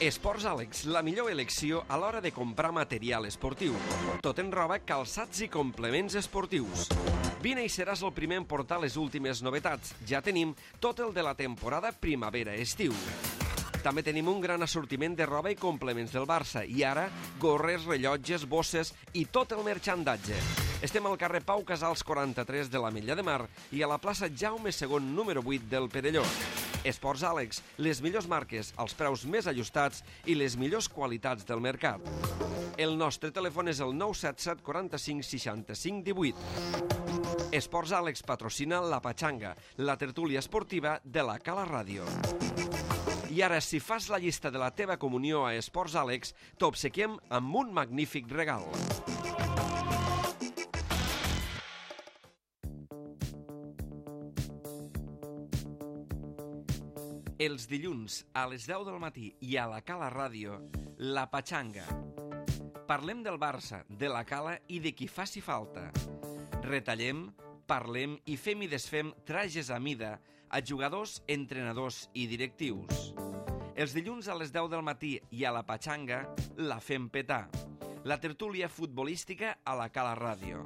Esports Àlex, la millor elecció a l'hora de comprar material esportiu. Tot en roba, calçats i complements esportius. Vine i seràs el primer en portar les últimes novetats. Ja tenim tot el de la temporada primavera-estiu. També tenim un gran assortiment de roba i complements del Barça. I ara, gorres, rellotges, bosses i tot el marxandatge. Estem al carrer Pau Casals 43 de l'Ametlla de Mar i a la plaça Jaume II, número 8 del Perelló. Esports Àlex, les millors marques, els preus més ajustats i les millors qualitats del mercat. El nostre telèfon és el 977 45 65 18. Esports Àlex patrocina La Pachanga, la tertúlia esportiva de la Cala Ràdio. I ara, si fas la llista de la teva comunió a Esports Àlex, t'obsequiem amb un magnífic regal. Els dilluns a les 10 del matí i a la Cala Ràdio, La Pachanga. Parlem del Barça, de la Cala i de qui faci falta. Retallem, parlem i fem i desfem trajes a mida a jugadors, entrenadors i directius. Els dilluns a les 10 del matí i a La Pachanga la fem petar. La tertúlia futbolística a la Cala Ràdio.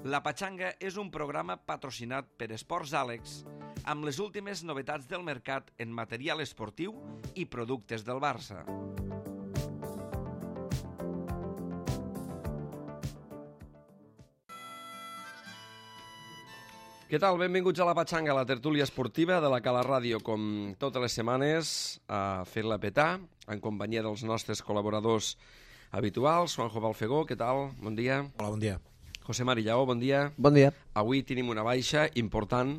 La Pachanga és un programa patrocinat per Esports Àlex amb les últimes novetats del mercat en material esportiu i productes del Barça. Què tal? Benvinguts a La Pachanga, la tertúlia esportiva de la Cala Ràdio, com totes les setmanes, a fer-la petar, en companyia dels nostres col·laboradors habituals. Juanjo Balfegó, què tal? Bon dia. Hola, bon dia. José Marillao, bon dia. Bon dia. Avui tenim una baixa important.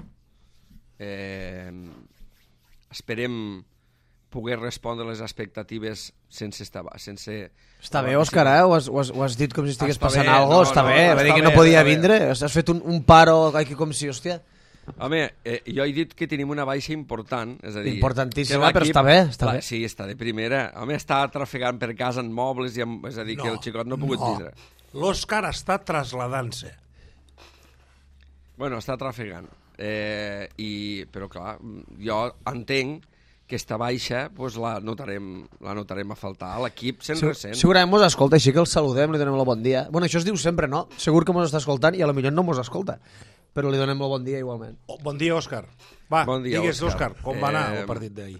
Esperem poder respondre les expectatives sense estar... Està bé, Òscar, ho has dit com si estigués passant bé, alguna cosa, està bé, va dir que no podia vindre, has fet un paro aquí com si, hòstia... Home, jo he dit que tenim una baixa important, és a dir... Importantíssima, però està bé, està bé. Sí, està de primera. Home, està trafegant per casa en mobles, és a dir, que el xicot no ha pogut vindre. L'Òscar està trasladant-se. Bueno, està trafegant. Però clar, jo entenc que esta baixa pues, la notarem a faltar a l'equip sent recent. Segurament mos escolta, així que el saludem, li donem el bon dia. Bueno, això es diu sempre, no? Segur que mos està escoltant i a lo millor no mos escolta, però li donem el bon dia igualment. Bon dia, Òscar. Va, bon dia, digues, Òscar, com va anar el partit d'ahir?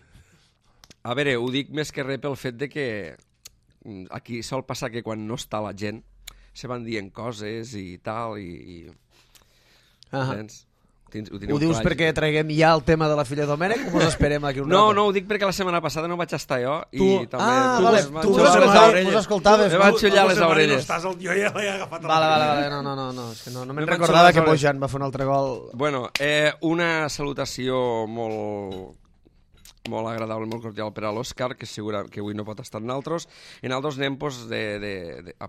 A veure, ho dic més que res pel fet de que aquí sol passar que quan no està la gent se van dient coses i tal i... Ho dius perquè traguem ja el tema de la filla Domènec o mos esperem aquí un rato? No, ho dic perquè la setmana passada no vaig estar jo i també... Vale, tu mos escoltaves. Me vaig xullar les orelles. Jo ja l'he agafat. Vale, no, és que no me'n recordava que Bojan va fer un altre gol. Bueno, una salutació molt agradable, molt cordial per a l'Òscar, que segura que avui no pot estar en nosaltres. En altres anem, pues,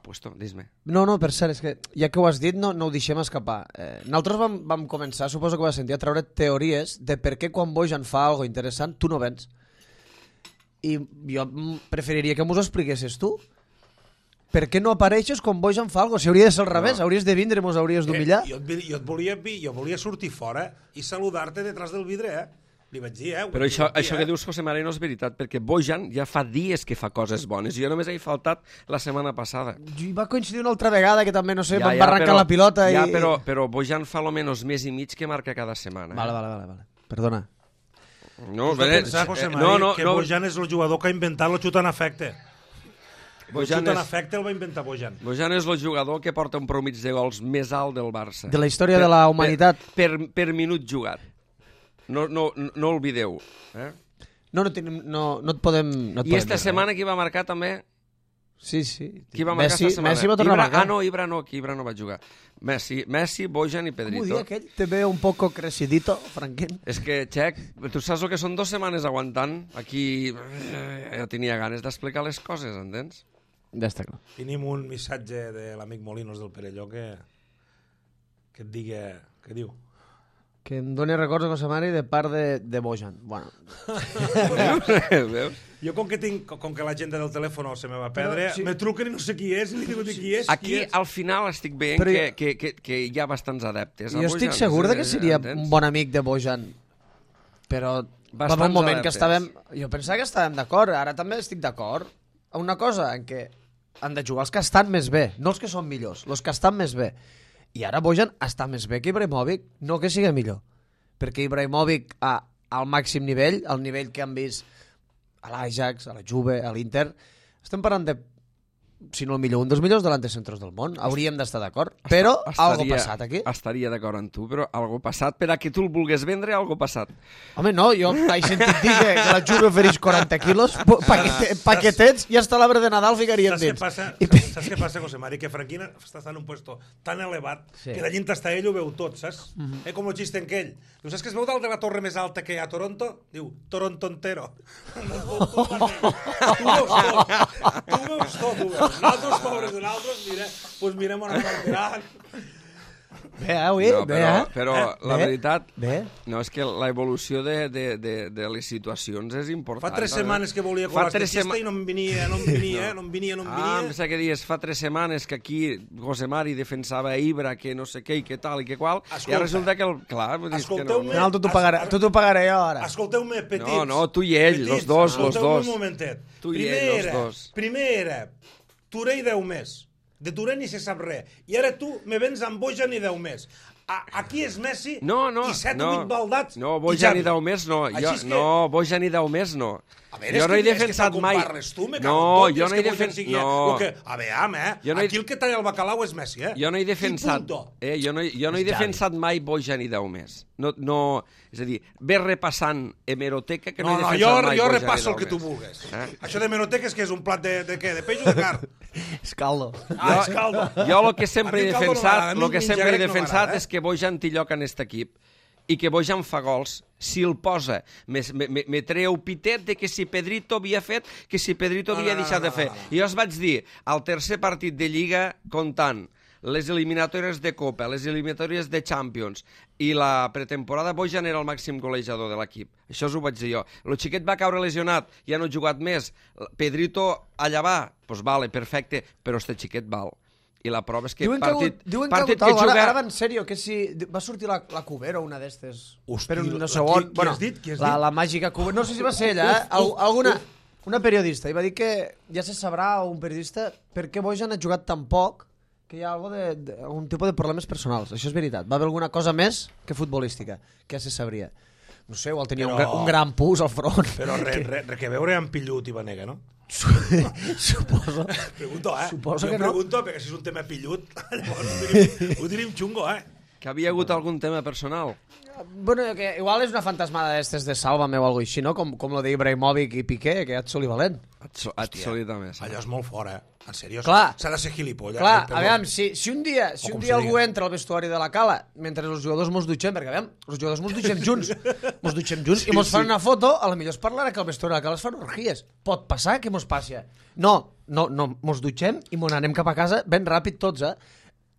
puesto, dis-me. No, per cert, és que ja que ho has dit, no ho deixem escapar. Nosaltres vam començar, suposo que ho vas sentir, a treure teories de per què quan Bojan fa alguna interessant, tu no vens. I jo preferiria que m'ho expliquessis tu. Per què no apareixes quan Bojan fa alguna cosa? Si hauria de ser al revés, hauries de vindre i mos hauries d'humillar. Jo volia sortir fora i saludar-te detrás del vidre, Li vaig dir, Però això que dius, José María, no és veritat, perquè Bojan ja fa dies que fa coses bones. Jo només he faltat la setmana passada. I va coincidir una altra vegada que també, no sé, van arrencar la pilota i... Ja, però Bojan fa almenys mes i mig que marca cada setmana. Vale. Perdona. No, que Bojan és el jugador que ha inventat el xut en efecte. El xut en efecte el va inventar Bojan. Bojan és el jugador que porta un promig de gols més alt del Barça. De la història de la humanitat. Per minut jugat. No oblideu. No et podem... I esta setmana qui va marcar també? Sí. Qui va marcar esta setmana? Messi va tornar a marcar. Ibra no va jugar. Messi, Bojan i Pedrito. Com ho dia aquell? Te veo un poco crecidito, Franquín. És que, Txec, tu saps el que són 2 setmanes aguantant? Aquí jo tenia ganes d'explicar les coses, entens? Ja està clar. Tenim un missatge de l'amic Molinos del Perelló que et digui... Què diu? Que em doni records de José Mari de part de Bojan. Bueno. Veus? Jo com que l'agenda del telèfon se me va perdre, me truquen i no sé qui és, i li digo qui és. Aquí al final estic veient que hi ha bastants adeptes. Jo estic segur que seria un bon amic de Bojan, però va haver un moment que estàvem... Jo pensava que estàvem d'acord, ara també estic d'acord. Una cosa en què han de jugar els que estan més bé, no els que són millors, els que estan més bé. I ara Bojan està més bé que Ibrahimovic, no que sigui millor. Perquè Ibrahimovic al màxim nivell, al nivell que han vist a l'Ajax, a la Juve, a l'Inter, estem parlant de, si no el millor, un dels millors delantecentros del món. Hauríem d'estar d'acord, però algo passat aquí. Estaria d'acord amb tu, però algo passat, per a que tu el vulgues vendre, algo passat. Home, no, jo he sentit dir que la Juve ofereix 40 quilos, paquetets, i hasta l'arbre de Nadal ficaríem dins. Saps què passa, José Mari? Que Franquina està en un puesto tan elevat que la gent està ell ho veu tot, saps? Com el xiste en aquell. Diu, saps que es veu dalt de la torre més alta que hi ha a Toronto? Diu, Toronto entero. Tu veus tot, nosaltres, pobres de nosaltres, doncs mirem on apartaran. Bé, avui, no, bé, però la veritat, bé. No, és que la evolució de les situacions és important. Fa 3 setmanes que volia colar este xiste i no em venia. Em sembla que dius, fa 3 setmanes que aquí José Mari defensava Ibra, que no sé què i que tal i que qual, i ara resulta que, clar, dius que no. No, tu t'ho pagaré jo ara. Escolteu-me, petits. No, tu i ell, los dos. Escolteu-me un momentet. Tu i ell, los dos. Primer era Touré i 10 més. De Touré ni se sap res. I ara tu me vens amb Bojan i 10 més. Aquí és Messi i 7 o 8 baldats. No, Bojan i 10 més no. No, Bojan i 10 més no. A veure, jo no he defensat mai. No, jo no he defensat. No. A veure, aquí el que talla el bacalao és Messi, eh? Jo no he defensat. Jo no he defensat mai Bojan i 10 més. No, és a dir, ve repassant hemeroteca que no he defensat mai Bojan i 10 més. Jo repasso el que tu vulguis. Això d'hemeroteca és que és un plat de què? De peix o de carn? És caldo. És caldo. Jo el que sempre he defensat és que Bojan té lloc en aquest equip i que Bojan fa gols. Si el posa, me treu pitet de que si Pedrito havia fet, que si Pedrito havia deixat de fer. I jo us vaig dir, al tercer partit de Lliga, comptant les eliminatòries de Copa, les eliminatòries de Champions i la pretemporada, Bojan era el màxim golejador de l'equip. Això us ho vaig dir jo. El xiquet va caure lesionat, ja no ha jugat més. Pedrito allà va, doncs vale, perfecte, però este xiquet val. I la prova és que partit que juga... Ara va en sèrio, que si va sortir la Cubero, una d'estes. Per un segon. Qui has dit? La màgica Cubero. No sé si va ser ella, una periodista. I va dir que ja se sabrà, un periodista, per què Bojan ha jugat tan poc, que hi ha algun tipus de problemes personals. Això és veritat. Va haver alguna cosa més que futbolística, que ja se sabria. No sé, igual tenia un gran pus al front. Però que veure amb Pillut i Vanega, no? Suposo. Pregunto, Suposo que no. Pregunto, perquè si és un tema Pillut, llavors ho tenim xungo, Que havia hagut algun tema personal. Bueno, que igual és una fantasmada d'estes de Sálvame o alguna així, no? Com lo d'Ibrahimovic i Piqué, que ja et soli valent. Absolutament. Allò és molt fort, En sèrio, s'ha de ser gilipolles. Clar, a veure, si un dia algú entra al vestuari de la Cala mentre els jugadors mos dutxem, perquè a veure, els jugadors mos dutxem junts i mos fan una foto, a la millor es parlarà que al vestuari de la Cala es fan orgies. Pot passar que mos passi. No, mos dutxem i mos anem cap a casa ben ràpid tots,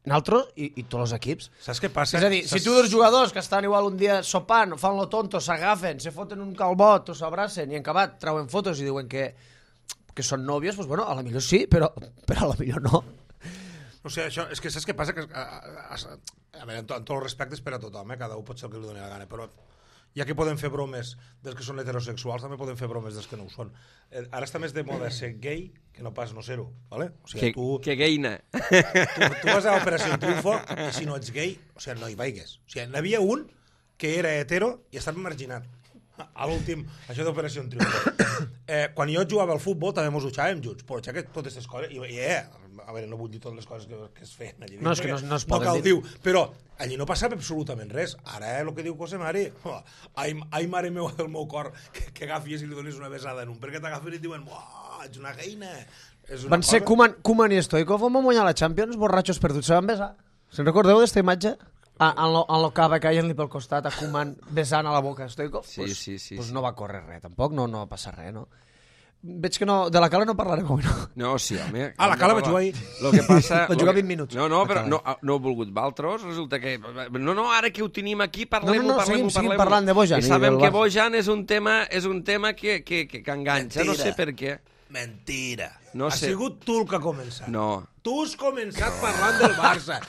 Nosaltres i tots els equips. Saps què passa? És a dir, si tu dos jugadors que estan igual un dia sopant, fan lo tonto, s'agafen, se foten un calbot o s'abracen i en acabat treuen fotos i diuen que són nòvios, doncs bueno, a la millor sí, però a la millor no. O sigui, això, és que saps què passa? A veure, en tots els respectes per a tothom, cada un pot ser el que li doni la gana, però ja que podem fer bromes dels que són heterosexuals, també podem fer bromes dels que no ho són. Ara està més de moda ser gay que no pas no ser-ho, ¿vale? O sigui, que gayna. Tu vas a l'Operació Triunfo i si no ets gay, o sigui, no hi vaigues. O sigui, n'havia un que era hetero i estava marginat. A l'últim, això d'Operació Triunfo. Quan jo jugava al futbol també mos dutxàvem junts, però ja que totes aquestes coses... a veure, no vull dir totes les coses que es feien allí. No, és que no es poden dir. Però allí no passava absolutament res. Ara, el que diu José Mari, ai, mare meva del meu cor, que agafies i li donis una besada en un, perquè t'agafen i et diuen, ets una geina. Van ser Koeman i Stoikov, on van guanyar la Champions, borratxos perduts, se van besar. Se'n recordeu d'esta imatge? En lo cava caient-li pel costat a Koeman besant a la boca a Stoikov? Sí. Pues no va córrer res, tampoc, no va passar res, no? Veig que no, de la Cala no parlarem avui, no? No, sí, home. La Cala vaig jugar ahir. Lo que passa... Va jugar 20 minuts. No, però no he volgut valtros, resulta que... No, ara que ho tenim aquí, parlem-ho. Seguim parlant de Bojan. I sabem que Bojan és un tema que enganxa, no sé per què. Mentira. No sé. Ha sigut tu el que ha començat. No. Tu has començat parlant del Barça.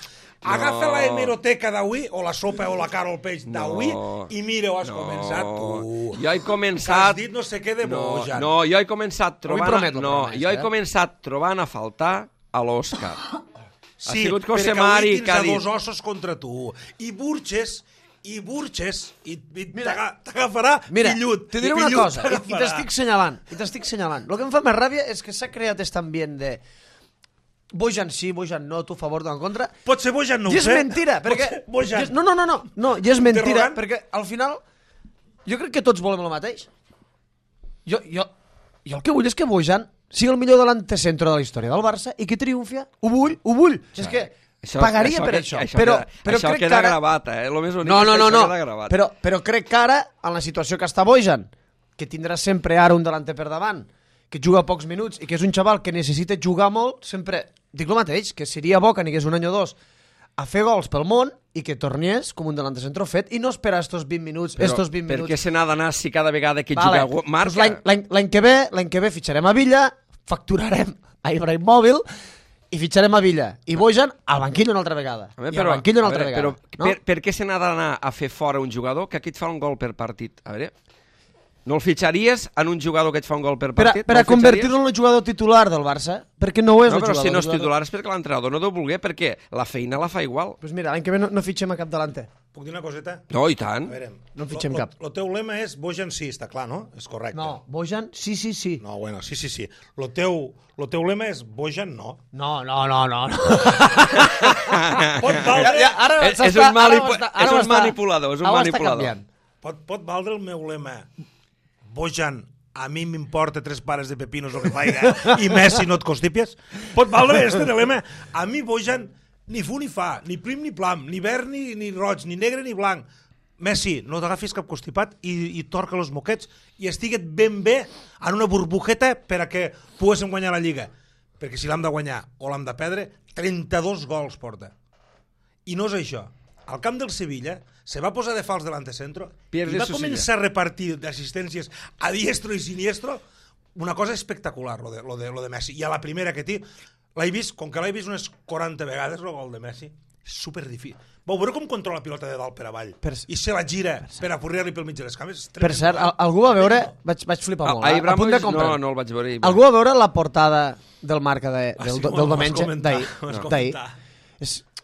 Agafa la hemeroteca d'avui, o la sopa o la cara o el peix d'avui, i mira, has començat tu. Jo he començat... Que has dit no sé què de Bojan. No, jo he començat trobant a faltar a l'Òscar. Sí, sigut perquè José Mari avui que ha tens a dit... dos ossos contra tu. I Burgess t'agafarà pillut. Te diré una cosa, i t'estic senyalant. El que em fa més ràbia és que s'ha creat aquest ambient de Bojan sí, Bojan no, tu a favor, tu en contra. Pot ser Bojan, no ho sé. I és mentira, perquè... No, i és mentira, perquè al final jo crec que tots volem el mateix. Jo el que vull és que Bojan sigui el millor delantecentro de la història del Barça i que triomfi. Ho vull. És que pagaria per això. Però això crec queda que ara... gravat, Lo més únic no, és que això queda gravat. Però crec que ara, en la situació que està Bojan, que tindrà sempre ara un delanter per davant, que juga pocs minuts i que és un xaval que necessita jugar molt, sempre dic el mateix, que seria bo que anigués un any o dos a fer gols pel món i que tornés com un delantecentro fet i no esperar estos 20 minuts. Però per què se n'ha d'anar si cada vegada que juga marca? L'any que ve fitxarem a Villa, facturarem a Ibrahimovic i fitxarem a Villa. I Bojan al banquillo una altra vegada. Però per què se n'ha d'anar a fer fora un jugador que aquí et fa un gol per partit? A veure... No el fitxaries en un jugador que et fa un gol per partit? Per a convertir-lo en el jugador titular del Barça, perquè no ho és el jugador. No, però si no és titular és perquè l'entrenador no deu voler, perquè la feina la fa igual. Doncs mira, l'any que ve no fitxem a cap delanter. Puc dir una coseta? No, i tant. A veure, no en fitxem cap. El teu lema és Bojan sí, està clar, no? És correcte. No, Bojan sí. No, bueno, sí. El teu lema és Bojan no. No. Pot valdre... És un manipulador, Pot valdre el meu lema Bojan, a mi m'importa 3 pares de pepinos el que faiga i Messi no et constipies? Pot valdre este lema? A mi Bojan ni fu ni fa, ni prim ni plam, ni verd ni roig, ni negre ni blanc. Messi, no t'agafis cap constipat i torca els moquets i estiguet ben bé en una burbujeta per a que poguéssim guanyar la Lliga. Perquè si l'hem de guanyar o l'hem de perdre, 32 gols porta. I no és això. Al camp del Sevilla se va posar de fals delante centro i va començar a repartir d'assistències a diestro i siniestro, una cosa espectacular, lo de Messi. I a la primera que l'he vist, com que l'he vist unes 40 vegades, el gol de Messi, és superdifícil. Vau veure com controla la pilota de dalt per avall i se la gira per apurrir-li pel mig de les cames? Per cert, algú va veure, vaig flipar molt, a punt de comprar. No el vaig veure. Algú va veure la portada del Marca del diumenge d'ahir.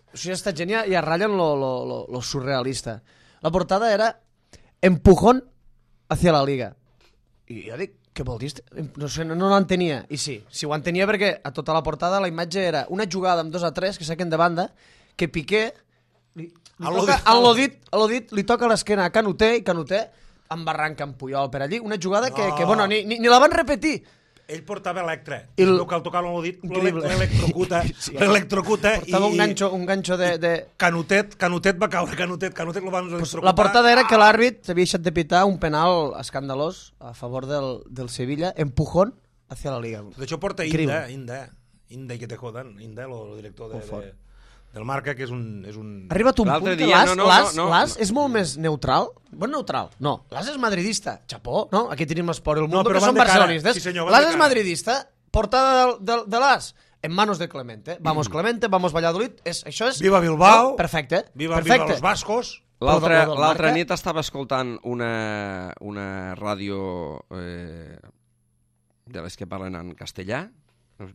O sigui, ha estat genial i es ratllen lo surrealista. La portada era empujón hacia la Liga. I jo dic, què vol dir? No sé, no l'entenia. I sí, ho entenia perquè a tota la portada la imatge era una jugada amb 2-3 que saquen de banda, que Piqué a l'Odit li toca l'esquena a Canuté i Canuté embarranca amb Puyol per allí. Una jugada que bueno, ni la van repetir. Ell portava Electra, i que al tocar l'Odit l'electrocuta portava un ganxo de... Canutet va caure, Canutet lo van electrocutar. La portada era que l'àrbit s'havia deixat de pitar un penal escandalós a favor del Sevilla, empujón hacia la Liga. Tot això porta Inda, i que te jodan, Inda, el director del Marca, que és un... Ha arribat un punt que l'As és molt més neutral. Bon neutral, no. L'As és madridista. Xapó, no? Aquí tenim l'Esport i el Mundo, que són barcelonistes. L'As és madridista. Portada de l'As en manos de Clemente. Vamos Clemente, vamos Valladolid. Això és... Viva Bilbao. Perfecte. Viva los vascos. L'altra nit estava escoltant una ràdio de les que parlen en castellà.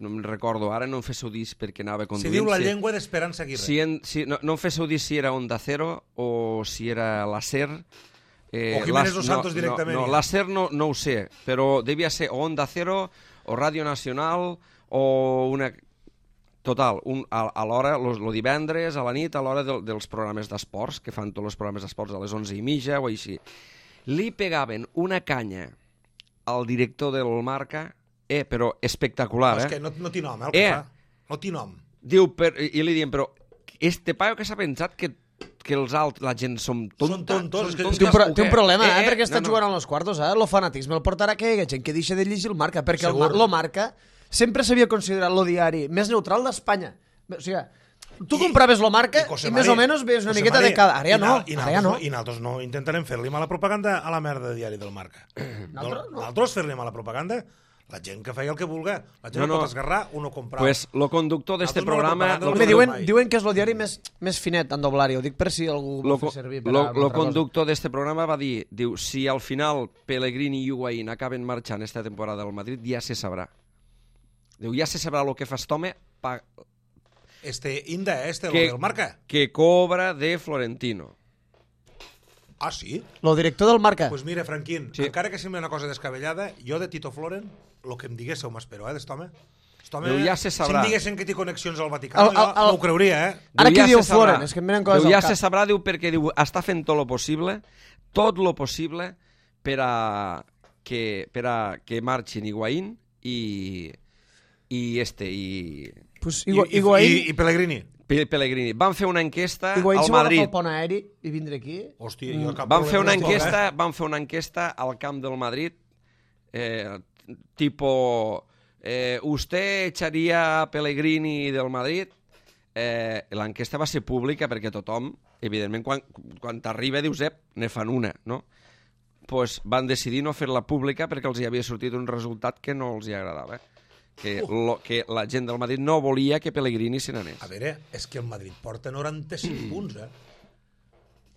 No em recordo ara, no em féssiu dir perquè anava conduint. Se diu la llengua d'Esperança Aguirre. No em féssiu dir si era Onda Cero o si era la SER. O Jiménez dos Santos directament. No, la SER no ho sé, però devia ser o Onda Cero o Ràdio Nacional o una... Total, a l'hora, el divendres, a la nit, a l'hora dels programes d'esports, que fan tots els programes d'esports a les 11:30 o així, li pegaven una canya al director del Marca... però espectacular, És que no té nom, el que fa. No té nom. Diu, i li diem, però este paio que s'ha pensat que la gent som tontos. Té un problema, perquè està jugant als quartos, lo fanatisme el portarà que hi hagi gent que deixa de llegir el Marca, perquè el Marca sempre s'havia considerat el diari més neutral d'Espanya. O sigui, tu compraves lo Marca i més o menys veus una miqueta de cada... Ara ja no. I nosaltres no intentarem fer-li mala propaganda a la merda de diari del Marca. Nosaltres fer-li mala propaganda... La gent que feia el que vulgui. La gent no pot esgarrar, uno comprava. Pues lo conductor d'este programa... Diuen que és el diari més finet en doblar-hi. Ho dic per si algú ho fa servir per a una altra cosa. Lo conductor d'este programa va dir, diu, si al final Pellegrini i Higuaín acaben marxant esta temporada al Madrid, ja se sabrà. Diu, ja se sabrà lo que fa este home el Marca. Que cobra de Florentino. Ah, sí? Lo director del Marca. Pues mira, Franquín, encara que sembla una cosa descabellada, jo de Tito Floren, el que em diguéssiu m'espero, d'est home. Ja se sabrà. Si em diguessin que té connexions al Vaticà, no ho creuria, Ara que diu Floren, és que em venen coses al cap. Ja se sabrà, diu, perquè diu, està fent tot lo possible per a que marxin Higuaín i Pellegrini. Pellegrini. Van fer una enquesta al Madrid. Higuaín si vol agafar el pont aeri i vindre aquí. Hòstia, van fer una enquesta al camp del Madrid, tipo, ¿usted echaría a Pellegrini del Madrid? L'enquesta va ser pública perquè tothom, evidentment, quan t'arriba dius, ne fan una, no? Pues van decidir no fer-la pública perquè els hi havia sortit un resultat que no els hi agradava. Que la gent del Madrid no volia que Pellegrini se n'anés. A veure, és que el Madrid porta 95 punts,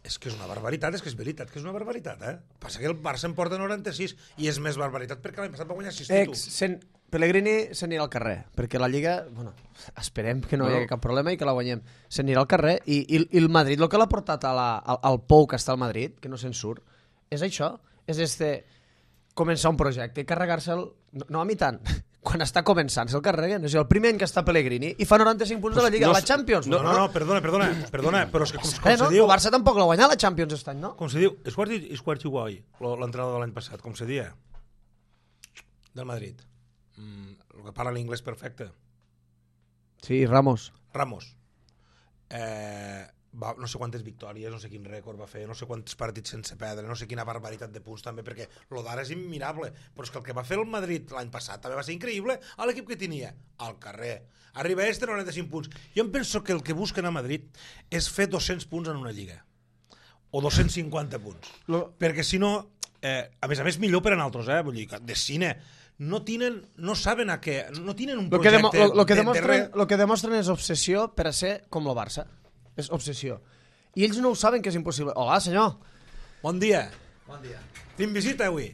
És que és una barbaritat, és que és veritat que és una barbaritat, Passa que el Barça en porta 96 i és més barbaritat perquè l'any passat va guanyar 6 títols. Pellegrini se n'anirà al carrer, perquè la Lliga, bueno, esperem que no hi hagi cap problema i que la guanyem. Se n'anirà al carrer i el Madrid, el que l'ha portat al pou que està al Madrid, que no se'n surt, és això, és començar un projecte i carregar-se'l, no a mi tant, quan està començant se'l carreguen, és el primer any que està Pellegrini i fa 95 punts de la Lliga, la Champions. No, perdona, però és que com se diu... El Barça tampoc l'ha guanyat la Champions aquest any, no? Com se diu, és Guardiola, l'entrenador de l'any passat, com se dia del Madrid. El que parla l'inglès perfecte. Sí, Ramos. No sé quantes victòries, no sé quin rècord va fer, no sé quants partits sense perdre, no sé quina barbaritat de punts també, perquè lo d'ara és immirable, però és que el que va fer el Madrid l'any passat també va ser increïble a l'equip que tenia, al carrer. Arriba 95 punts. Jo em penso que el que busquen a Madrid és fer 200 punts en una lliga, o 250 punts, perquè si no, a més millor per a nosaltres, vull dir, de cine, no saben a què, no tenen un projecte... Lo que demostren és obsessió per a ser com el Barça. És obsessió. I ells no ho saben que és impossible. Hola, senyor. Bon dia. Tenim visita avui.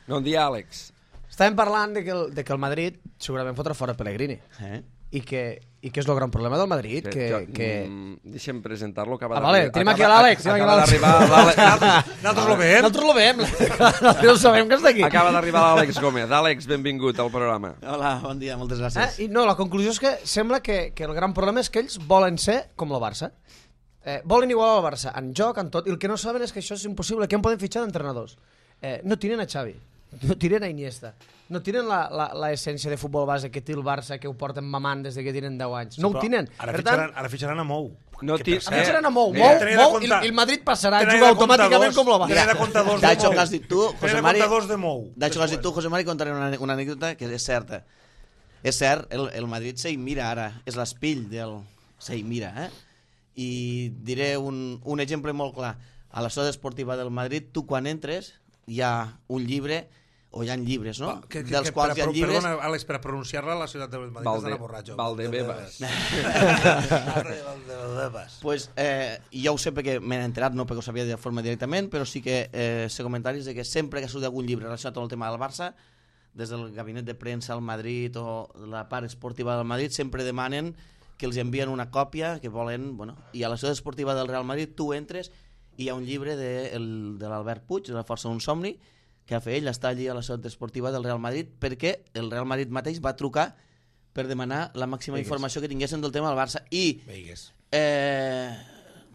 Bon dia, Àlex. Estàvem parlant de que el Madrid segurament fotrà fora Pellegrini. I que és el gran problema del Madrid. Deixa'm presentar-lo. Tenim aquí l'Àlex. Nosaltres lo veiem. Nosaltres sabem que està aquí. Acaba d'arribar l'Àlex Gómez. Àlex, benvingut al programa. Hola, bon dia, moltes gràcies. La conclusió és que sembla que el gran problema és que ells volen ser com el Barça. Volen igualar el Barça en joc, en tot, i el que no saben és que això és impossible. Què en poden fitxar d'entrenadors? No tiren a Xavi, no tiren a Iniesta, no tiren l'essència de futbol base que té el Barça, que ho porten mamant des que tenen 10 anys. No ho tenen. Ara fitxaran a Mou. Fitxaran a Mou. I el Madrid passarà a jugar automàticament com el Barça. D'això que has dit tu, José Mari, José Mari, contaré una anècdota que és certa. És cert, el Madrid se mira ara, és l'espill del se mira, I diré un exemple molt clar. A la ciutat esportiva del Madrid, tu quan entres hi ha un llibre, o hi ha llibres, no? Dels quals hi ha llibres... Perdona, Àlex, per a pronunciar-la, la ciutat del Madrid és d'anar borratxo. Valdebebas. Pues jo ho sé perquè m'he enterat, no perquè ho sabia de forma directament, però sí que sé comentaris de que sempre que surt algun llibre relacionat amb el tema del Barça, des del gabinet de premsa al Madrid o la part esportiva del Madrid, sempre demanen que els envien una còpia, que volen... I a la ciutat esportiva del Real Madrid tu entres i hi ha un llibre de l'Albert Puig, de la Força d'un somni, que ha fet ell, està allí a la ciutat esportiva del Real Madrid, perquè el Real Madrid mateix va trucar per demanar la màxima informació que tinguessin del tema del Barça. I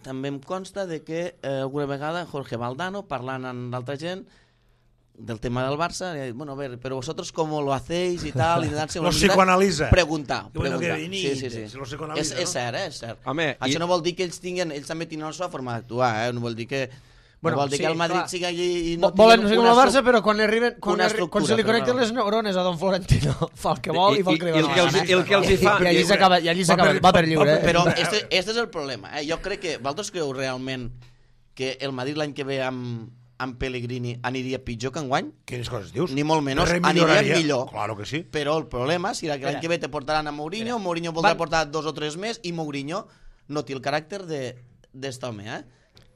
també em consta de que alguna vegada Jorge Valdano, parlant amb l'altra gent del tema del Barça, li ha dit, bueno, a ver, pero vosotros cómo lo hacéis y tal, y darse una psicoanaliza. Preguntar. Sí. És cert, és cert. Home, això no vol dir que ells també tinguin la seva forma d'actuar, no vol dir que... Bueno, vol dir que el Madrid sigui allí i no volen ser com el Barça, però quan se li connecten les neurones a Don Florentino fa el que vol i fa el que li va. I allí s'acaba, va per lliure. Però este és el problema. Jo crec que vosaltres creu realment que el Madrid l'any que ve amb amb Pellegrini aniria pitjor que enguany? Quines coses dius? Ni molt menys, Remilloraria. aniria millor. Claro que sí. Però el problema serà que l'any que ve te portaran a Mourinho, Mourinho voldrà portar 2 o 3 més i Mourinho no té el caràcter d'este home,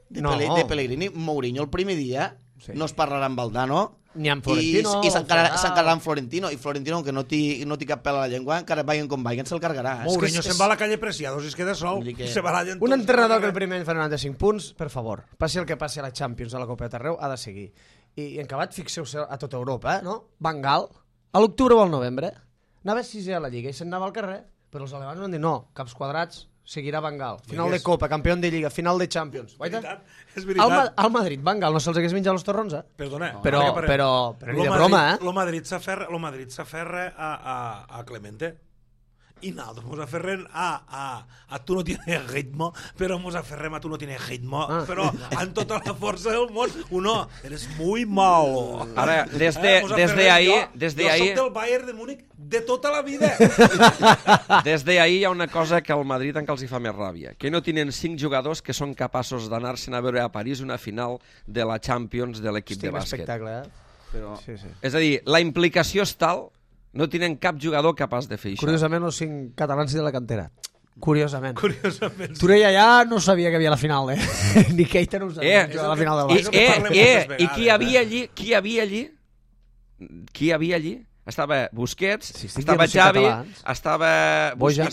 de Pellegrini. Mourinho el primer dia no es parlarà amb Valdano ni amb Florentino i s'encararà amb Florentino, i Florentino, que no té cap pèl a la llengua, encara vagin com vagin, se'l cargarà. Mourinho se'n va a la calle Preciados i es queda sol. Se va allà un entrenador que el primer any fa 95 punts, per favor, passi el que passi a la Champions, a la Copa de Arreu, ha de seguir. I en acabat, fixeu-se a tota Europa, no? Van Gaal, a l'octubre o al novembre, anava 6è a la Lliga i se'n anava al carrer, però els alemanys van dir no, caps quadrats, seguirà Van Gaal. Final de Copa, campió de Lliga, final de Champions. És veritat. Al Madrid, Van Gaal no se'ls hagués menjat els torrons, Perdona. Però ni de broma, Lo Madrid s'aferra a Clemente. I nosaltres mos aferrem a tu no tienes ritmo, però mos aferrem a tu no tienes ritmo, però amb tota la força del món. Uno, eres muy malo. Ara, desde ahí... Jo soc del Bayern de Múnich de tota la vida. Des d'ahir hi ha una cosa que al Madrid encara els hi fa més ràbia, que no tenen 5 jugadors que són capaços d'anar-se'n a veure a París una final de la Champions de l'equip de bàsquet. Espectacle, Però... Sí. És a dir, la implicació és tal, no tenen cap jugador capaç de fer això. Curiosament, els 5 catalans de la cantera. Curiosament. Curiosament. Turella ja no sabia que havia la final, Ni Keita no ho sabia. La final del Barça. I qui hi havia allí? Estava Busquets, estava Xavi, estava... Bojan.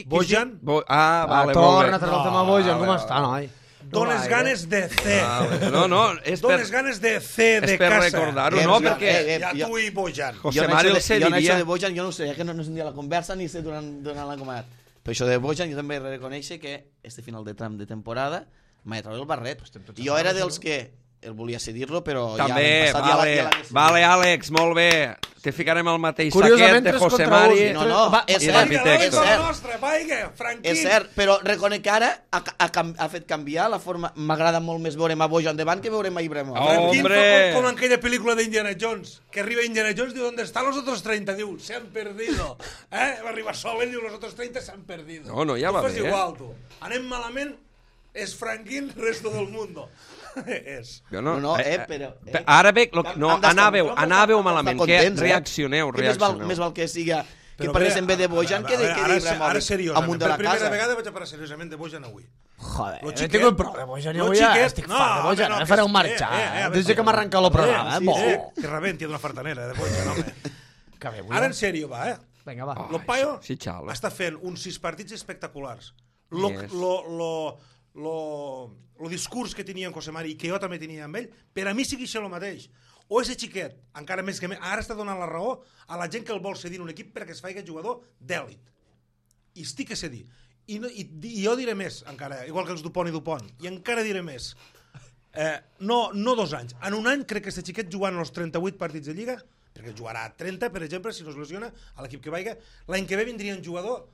Bojan? Vale, torna a treure el tema Bojan. Com està, noi? Dones ganes de C. No, és per... Dones ganes de C de casa. És per recordar-ho, no? Perquè... Ja tu i Bojan. José Mari el sé jo diria... de Bojan, jo no sé, que no sentia la conversa ni sé durant la comat. Però això de Bojan jo també he de reconèixer que este final de tram de temporada m'ha de treure el barret. Jo era dels que el volia cedir-lo, però també, ja... Vale, Àlex, molt bé. Te ficarem al mateix saquet de José Mari. No, és cert. És cert, però reconec que ara ha fet canviar la forma. M'agrada molt més veure a Bojan davant que veure a Ibrahimovic. Hombre! Com en aquella pel·lícula d'Indiana Jones, que arriba Indiana Jones, diu, ¿dónde están los otros 30? Diu, se han perdido. Va arribar sol i diu, los otros 30 se han perdido. No, ja va bé. Tu fas igual, tu. Anem malament, és Franquín, resto del mundo. És. Però... Ara bé, anàveu malament, que reaccioneu. Més val que siga que parlés en ve de Bojan que d'Ibrahimovic amunt de la casa. Per primera vegada vaig a parlar seriosament de Bojan avui. Joder, no tinc prou de Bojan avui, estic fart de Bojan, me fareu marxar. Des que m'arrenca el programa, que rebenti d'una fartanera de Bojan, home. Ara en sèrio, va, Vinga, va. Lo paio està fent uns 6 partits espectaculars. El discurs que tenia en José Mari i que jo també tenia amb ell, per a mi sigui això el mateix. O ese xiquet, encara més que ara està donant la raó a la gent que el vol cedir en un equip perquè es faci jugador d'èlit. I estic a cedir. I jo diré més, encara, igual que els Dupont i Dupont, i encara diré més. No 2 anys. En un any crec que aquest xiquet jugant els 38 partits de Lliga, perquè jugarà 30, per exemple, si no es lesiona, a l'equip que vaiga, l'any que ve vindria un jugador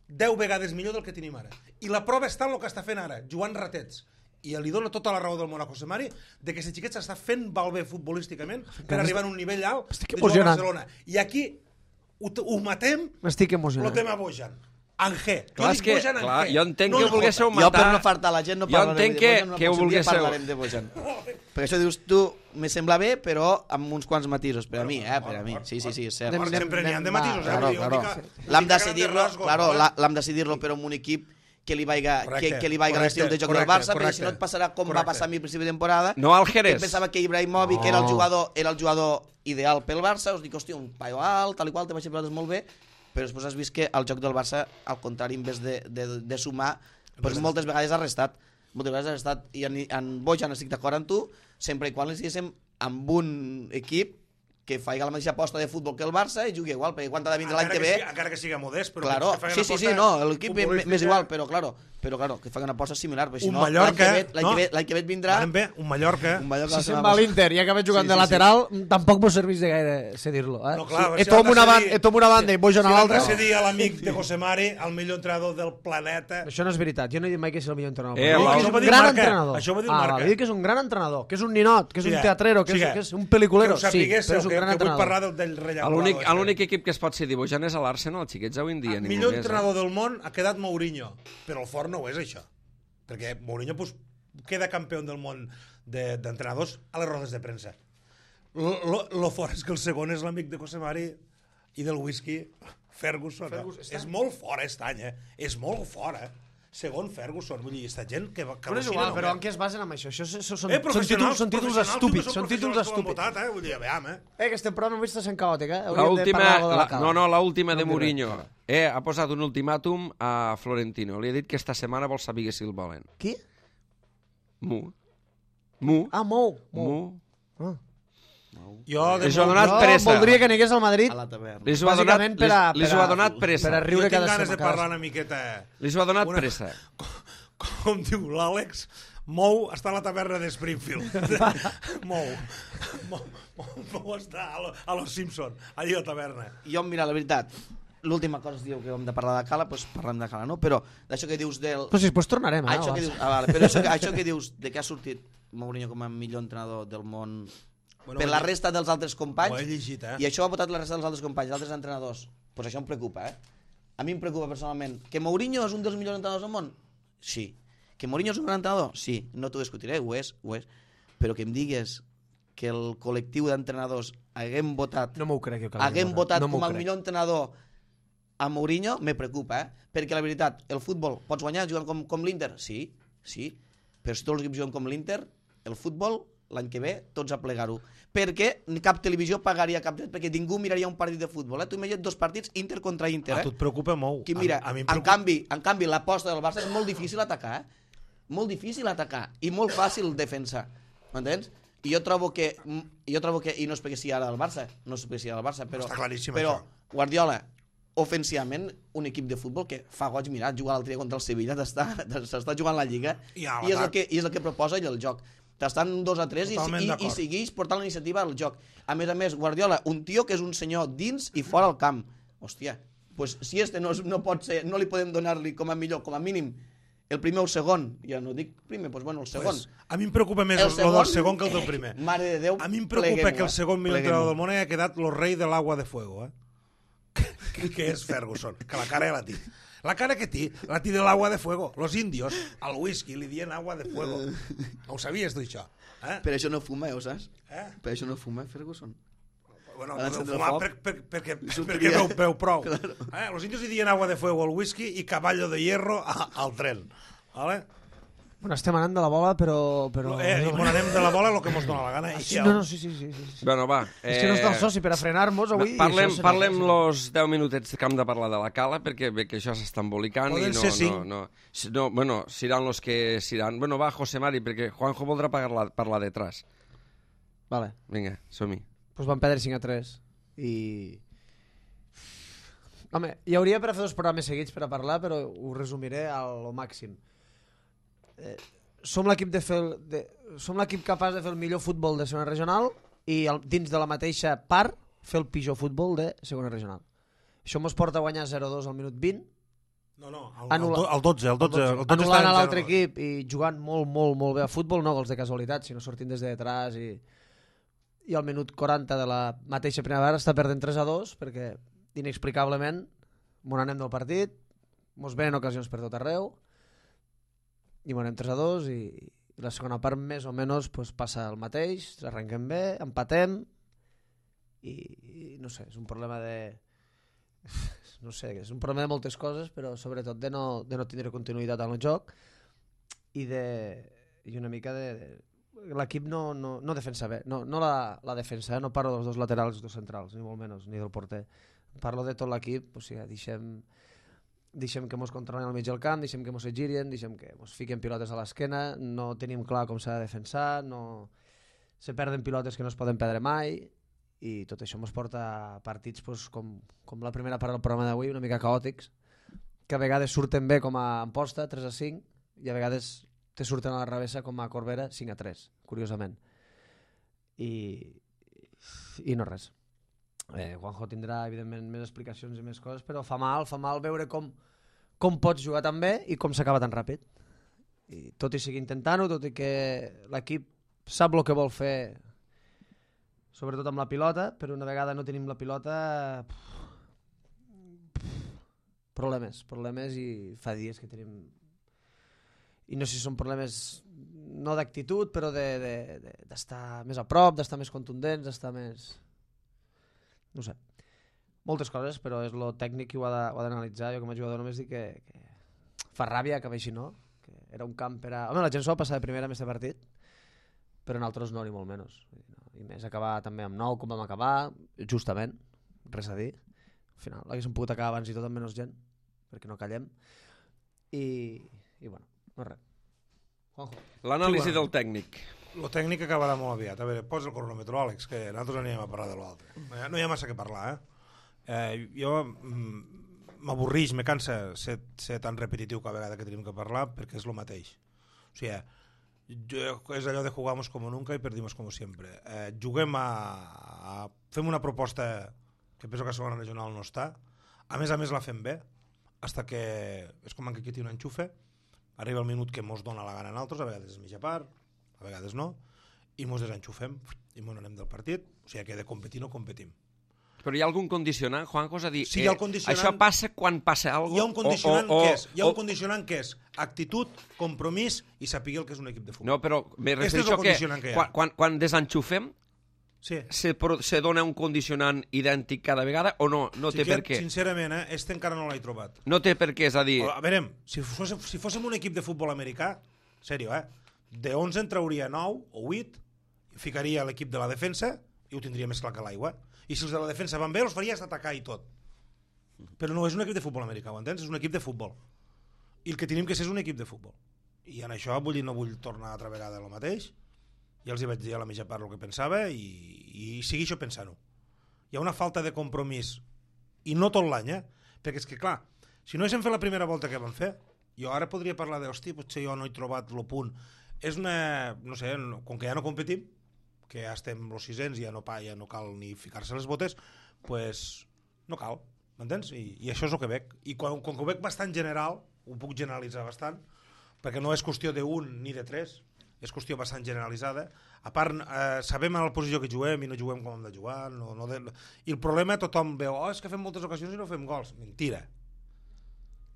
10 vegades millor del que tenim ara. I la prova està en el que està fent ara, jugant ratets. I li dona tota la raó del món a José Mari de que aquest xiquet s'està fent malbé futbolísticament per arribar a un nivell alt de jugar a Barcelona. I aquí ho matem el tema Bojan. Angé. Clar, jo entenc que ho volguéssiu matar. Jo per no fartar la gent no parlarem de Bojan, que ho volguéssiu... parlarem de Bojan. Perquè això dius tu, me sembla bé, però amb uns quants matisos. Per a mi, per a mi. Sí, és cert. Sempre n'hi ha de matisos, L'hem de decidir-lo, però amb un equip que li vaiga l'estil de joc del Barça, perquè si no et passarà com va passar a mi al principi de temporada, no al Jerez. Que pensava que Ibrahimovic era el jugador ideal pel Barça, us dic, hòstia, un paio alt, tal i qual, te vaig pilotes molt bé, però després has vist que el joc del Barça, al contrari, en vez de sumar, doncs moltes vegades ha restat. I en Bojan estic d'acord amb tu, sempre i quan li estiguéssim amb un equip que faci la mateixa aposta de futbol que el Barça i jugui igual, perquè quan ha de vindre l'any que ve... Encara que siga modest, però... Claro, sí, no, l'equip m'és igual, però claro, que faci una aposta similar, perquè si no, l'any que ve et vindrà... Un Mallorca... Si se'n va a l'Inter i acaba jugant de lateral, tampoc vos serveix de gaire cedir-lo. No, clar, Etom una banda i Bojan a l'altra... Si cedir a l'amic de José Mari, el millor entrenador del planeta... Això no és veritat, jo no he dit mai que és el millor entrenador. Això ho va dir el Marca. Això ho va dir el Marca. He dit que és un gran entrenador, que és un ninot, que és un teatrero, que és un peliculero. Sí, però és un gran entrenador. L'únic equip que es pot cedir Bojan és a l'Arsenal, els xiquets avui en dia. El millor entrenador del món ha quedat Mourinho, però el fort no ho és això, perquè Mourinho queda campió del món d'entrenadors a les rodes de premsa. Lo fort és que el segon és l'amic de Cosemari i del whisky, Ferguson. És molt fort aquest any, és molt fort, Segon Ferguson, vull dir, aquesta gent que però és igual, però en què es basen amb això? Això són títols estúpids, són títols estúpids. Vull dir, veiem, que este programa avui està sent caòtic, L'última de Mourinho. Ha posat un ultimàtum a Florentino. Li ha dit que esta setmana vol saber si el volen. Qui? Mou. Mou. Jo voldria que anigués al Madrid a la taverna. Li ho ha donat pressa. Per a riure cada setmana. Jo tinc ganes de parlar una miqueta... Li ho ha donat pressa. Com diu l'Àlex, Mou està a la taverna de Springfield. Mou està a Los Simpson, allà a la taverna. Jo, mira, la veritat, l'última cosa es diu que hem de parlar de Cala, doncs parlem de Cala, no? Però d'això que dius del... Però si després tornarem, però això que dius de que ha sortit Mourinho com a millor entrenador del món per la resta dels altres companys, ho he llegit, i això ha votat la resta dels altres companys, dels altres entrenadors, doncs això em preocupa, A mi em preocupa personalment. Que Mourinho és un dels millors entrenadors del món? Sí. Que Mourinho és un gran entrenador? Sí. No t'ho discutiré, ho és. Però que em digues que el col·lectiu d'entrenadors haguem votat no m'ho crec, com el millor entrenador a Mourinho, me preocupa, perquè la veritat, el futbol, pots guanyar jugant com l'Inter? Sí, però si tots els equips juguen com l'Inter, el futbol, l'any que ve, tots a plegar-ho. Perquè cap televisió pagaria cap dret, perquè ningú miraria un partit de futbol. Tu imagina't 2 partits Inter contra Inter. A tu et preocupa molt. Mira, en canvi, l'aposta del Barça és molt difícil atacar, molt difícil atacar i molt fàcil defensar. M'entens? I jo trobo que, i no és perquè sigui ara el Barça, però, està claríssim, però això. Guardiola, ofensivament, un equip de futbol que fa goig mirar, jugar l'altre dia contra el Sevilla, s'està jugant la Lliga i és el que proposa ell el joc. Estan 2-3 i segueix portant la iniciativa al joc. A més, Guardiola, un tio que és un senyor dins i fora al camp. Hòstia, pues si no pot ser, no li podem donar-li com a millor, com a mínim, el primer o el segon. Ja no dic primer, doncs bueno, el segon. A mi em preocupa més el del segon que el del primer. Mare de Déu, a mi em preocupa que el segon millor entrenador del món hagi quedat el rei de l'agua de fuego, que és Ferguson, que la cara ja la té. La cara que té, la té de l'agua de fuego. Los indios, al whisky, li dien agua de fuego. No ho sabies, tu, això? Per això no fuma, ho saps? Per això no fuma, Ferguson. Bueno, no fumar perquè veu prou. Los indios li dien agua de fuego al whisky i caballo de hierro al tren. Vale? Bueno, estem anant de la bola, però... anem de la bola el que mos dona la gana. No, sí. Bueno, va. És que no està el soci per a frenar-nos avui. Parlem los 10 minutets que hem de parlar de la Cala, perquè això s'està embolicant. Poden ser 5. No, bueno, seran los que seran. Bueno, va, José Mari, perquè Juanjo voldrà parlar detrás. Vale. Vinga, som-hi. Pues van perdre 5-3 i... Home, hi hauria per a fer 2 programes seguits per a parlar, però ho resumiré al màxim. Som l'equip capaç de fer el millor futbol de segona regional i dins de la mateixa part fer el pitjor futbol de segona regional. Això mos porta a guanyar 0-2 al minut 20. El 12. Anul·lant a l'altre equip i jugant molt bé a futbol, no gols de casualitat, sinó sortint des de detrás i al minut 40 de la mateixa primera part està perdent 3-2 perquè inexplicablement mos anem del partit, mos venen ocasions per tot arreu i anem 3-2 i la segona part més o menys pues, passa el mateix, arrenquem bé, empatem i no sé, és un problema de... no sé, és un problema de moltes coses, però sobretot de no tindre continuïtat en el joc i una mica de... L'equip no defensa bé, no la defensa, no parlo dels 2 laterals i 2 centrals, ni molt menys, ni del porter. Parlo de tot l'equip, o sigui, deixem que mos controlin al mig del camp, deixem que mos girin, deixem que mos fiquen pilotes a l'esquena, no tenim clar com s'ha de defensar, se perden pilotes que no es poden perdre mai i tot això mos porta a partits pues, com la primera part del programa d'avui, una mica caòtics, que a vegades surten bé com a Amposta, 3-5, i a vegades te surten a la revessa com a Corbera, 5-3, curiosament. I no res. Juanjo tindrà evidentment més explicacions i més coses, però fa mal veure com pots jugar tan bé i com s'acaba tan ràpid. I tot i seguir intentant-ho, tot i que l'equip sap el que vol fer, sobretot amb la pilota, però una vegada no tenim la pilota, problemes i fa dies que tenim i no sé si són problemes no d'actitud, però d'estar més a prop, d'estar més contundents, d'estar més... No sé. Moltes coses, però és lo tècnic qui ho ha d'analitzar. Jo com a jugador només dic que fa ràbia que vegi no, que era un camp per a... Home, la gent s'ho va passar de primera amb aquest partit, però nosaltres no, ni molt menys. I més acabar també amb 9 com vam acabar, justament, res a dir. Al final l'haguéssim pogut acabar abans i tot amb menys gent, perquè no callem. I bueno, no res. Juanjo. L'anàlisi Sí, bueno. del tècnic. Lo tècnic acabarà molt aviat. A veure, posa el cronòmetre, Àlex, que nosaltres anirem a parlar de l'altre. No hi ha massa que parlar, jo m'avorrix, me cansa ser tan repetitiu cada vegada que tenim que parlar, perquè és el mateix. O sigui, és allò de jugamos como nunca y perdimos como siempre. Juguem fem una proposta que penso que a segona regional no està. A més la fem bé, hasta que és com que aquí té un enxufe, arriba el minut que mos dona la gana a nosaltres, a vegades és mitja part, a vegades no, i mos desenxufem i mos anem del partit. O sigui que de competir no competim. Però hi ha algun condicionant, Juanjo? És a dir, Sí, hi ha el condicionant... això passa quan passa alguna cosa? Hi ha un condicionant que és, hi ha un condicionant que és actitud, compromís i saber el que és un equip de futbol. No, però me Este és refereixo el condicionant que hi ha. quan desenxufem Sí. se dona un condicionant idèntic cada vegada o no? No té per què. Sincerament, este encara no l'he trobat. No té per què, és a dir... A veure, si fóssim un equip de futbol americà, sèrio, de 11 en trauria 9 o 8, ficaria l'equip de la defensa i ho tindria més clar que l'aigua. I si els de la defensa van bé, els faries atacar i tot. Però no és un equip de futbol americà, ho entens? És un equip de futbol. I el que tenim que ser és un equip de futbol. I en això no vull tornar altra vegada el mateix. Ja els hi vaig dir a la mitja part el que pensava i segueixo pensant-ho. Hi ha una falta de compromís, i no tot l'any, perquè és que, clar, si no haguéssim fet la primera volta que vam fer, jo ara podria parlar de, hosti, potser jo no he trobat el punt. És una, no sé, com que ja no competim, que ja estem los 600 i ja no cal ni ficar-se les botes, pues no cal, m'entens? I això és el que veig. I quan ho veig bastant general, ho puc generalitzar bastant, perquè no és qüestió d'un ni de tres, és qüestió bastant generalitzada. A part, sabem a la posició que juguem i no juguem com hem de jugar. I el problema, tothom veu, és que fem moltes ocasions i no fem gols. Mentira.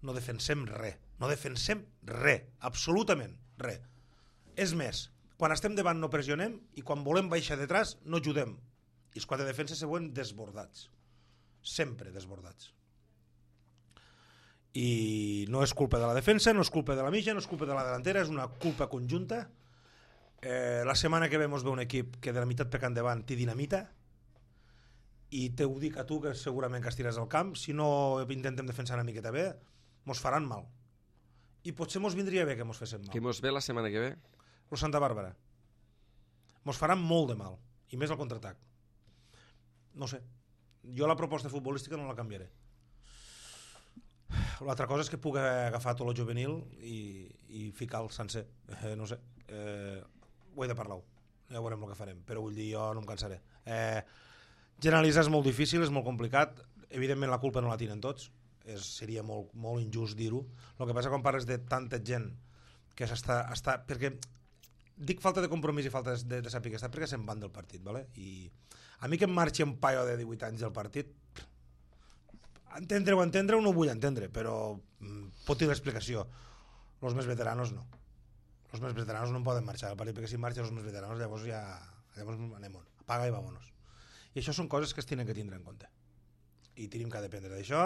No defensem res. No defensem res. Absolutament res. És més, quan estem davant no pressionem i quan volem baixar detrás no ajudem. I els quatre defenses se veuen desbordats. Sempre desbordats. I no és culpa de la defensa, no és culpa de la mitja, no és culpa de la delantera, és una culpa conjunta. La setmana que ve mos ve un equip que de la meitat per endavant té dinamita i te ho dic a tu que segurament que estiràs al camp, si no intentem defensar una miqueta bé mos faran mal i potser mos vindria bé que mos fessin mal. Que mos ve la setmana que ve? El Santa Bàrbara mos faran molt de mal i més al contraatac. No sé, jo la proposta futbolística no la canviaré. L'altra cosa és que puc agafar tot el juvenil i ficar el sencer, no sé, ho he de parlar, ja veurem el que farem, però vull dir, jo no em cansaré. Generalitzar és molt difícil, és molt complicat, evidentment la culpa no la tenen tots, seria molt, molt injust dir-ho. El que passa quan parles de tanta gent que s'està, perquè dic falta de compromís i falta de saber que està perquè se'n van del partit, ¿vale? I a mi que em marxi un paio de 18 anys del partit, entendre-ho no ho vull entendre, però pot dir l'explicació. Els més veteranos no. Els més veteranos no en poden marxar del partit, perquè si marxen els més veteranos llavors anem on, apaga i vámonos. I això són coses que es tenen que tindre en compte. I tenim que dependre d'això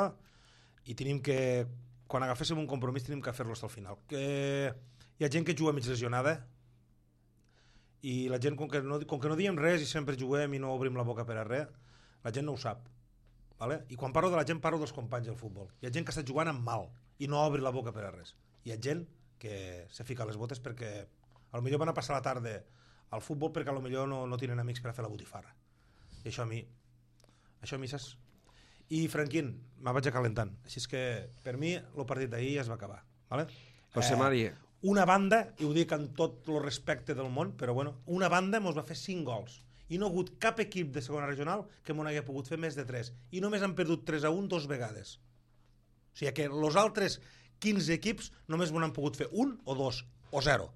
i tenim que, quan agaféssim un compromís, tenim que fer-lo fins al final. Que hi ha gent que juga mig lesionada i la gent, com que no diem res i sempre juguem i no obrim la boca per a res, la gent no ho sap. Vale? I quan parlo de la gent parlo dels companys del futbol. Hi ha gent que està jugant amb mal i no obri la boca per a res. Hi ha gent que se fica les botes perquè potser van a passar la tarda al futbol perquè potser no tenen amics per a fer la botifarra. I això a mi saps? I Franquín, me vaig acalentant. Així és que per mi el partit d'ahir ja es va acabar. Vale? José Mari. Una banda, i ho dic amb tot el respecte del món, però bueno, una banda mos va fer 5 gols. I no ha hagut cap equip de segona regional que m'ho hagi pogut fer més de 3. I només han perdut 3-1 2 vegades. O sigui que els altres 15 equips només m'ho han pogut fer 1 o 2 o 0.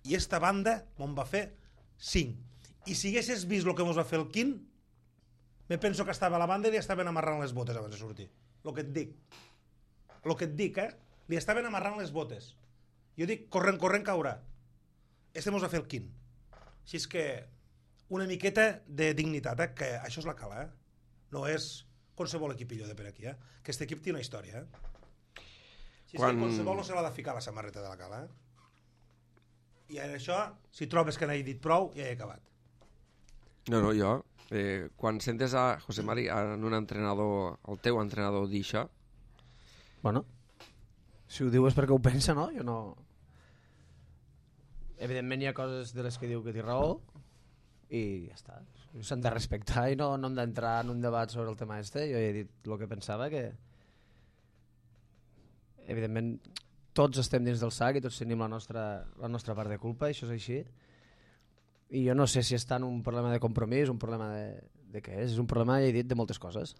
I esta banda me'n va fer 5. I si haguessis vist el que mos va fer el Quint, me penso que estava a la banda i li estaven amarrant les botes abans de sortir. El que et dic, li estaven amarrant les botes. Jo dic, corrent caurà. Este mos va fer el quin. Així és que una miqueta de dignitat, que això és la cala, No és qualsevol equipillo de per aquí, Que aquest equip té una història, Així és que qualsevol no se l'ha de ficar la samarreta de la cala, I en això, si trobes que n'he dit prou, ja he acabat. No, jo... quan sentes a José Mari, en un entrenador, el teu entrenador, dir això... Bueno, si ho diu és perquè ho pensa, no? Jo no... Evidentment hi ha coses de les que diu que té raó i ja està. S'han de respectar i no hem d'entrar en un debat sobre el tema este. Jo he dit el que pensava, que evidentment tots estem dins del sac i tots tenim la nostra part de culpa, això és així. I jo no sé si està en un problema de compromís, un problema de què és. És un problema, ja he dit, de moltes coses.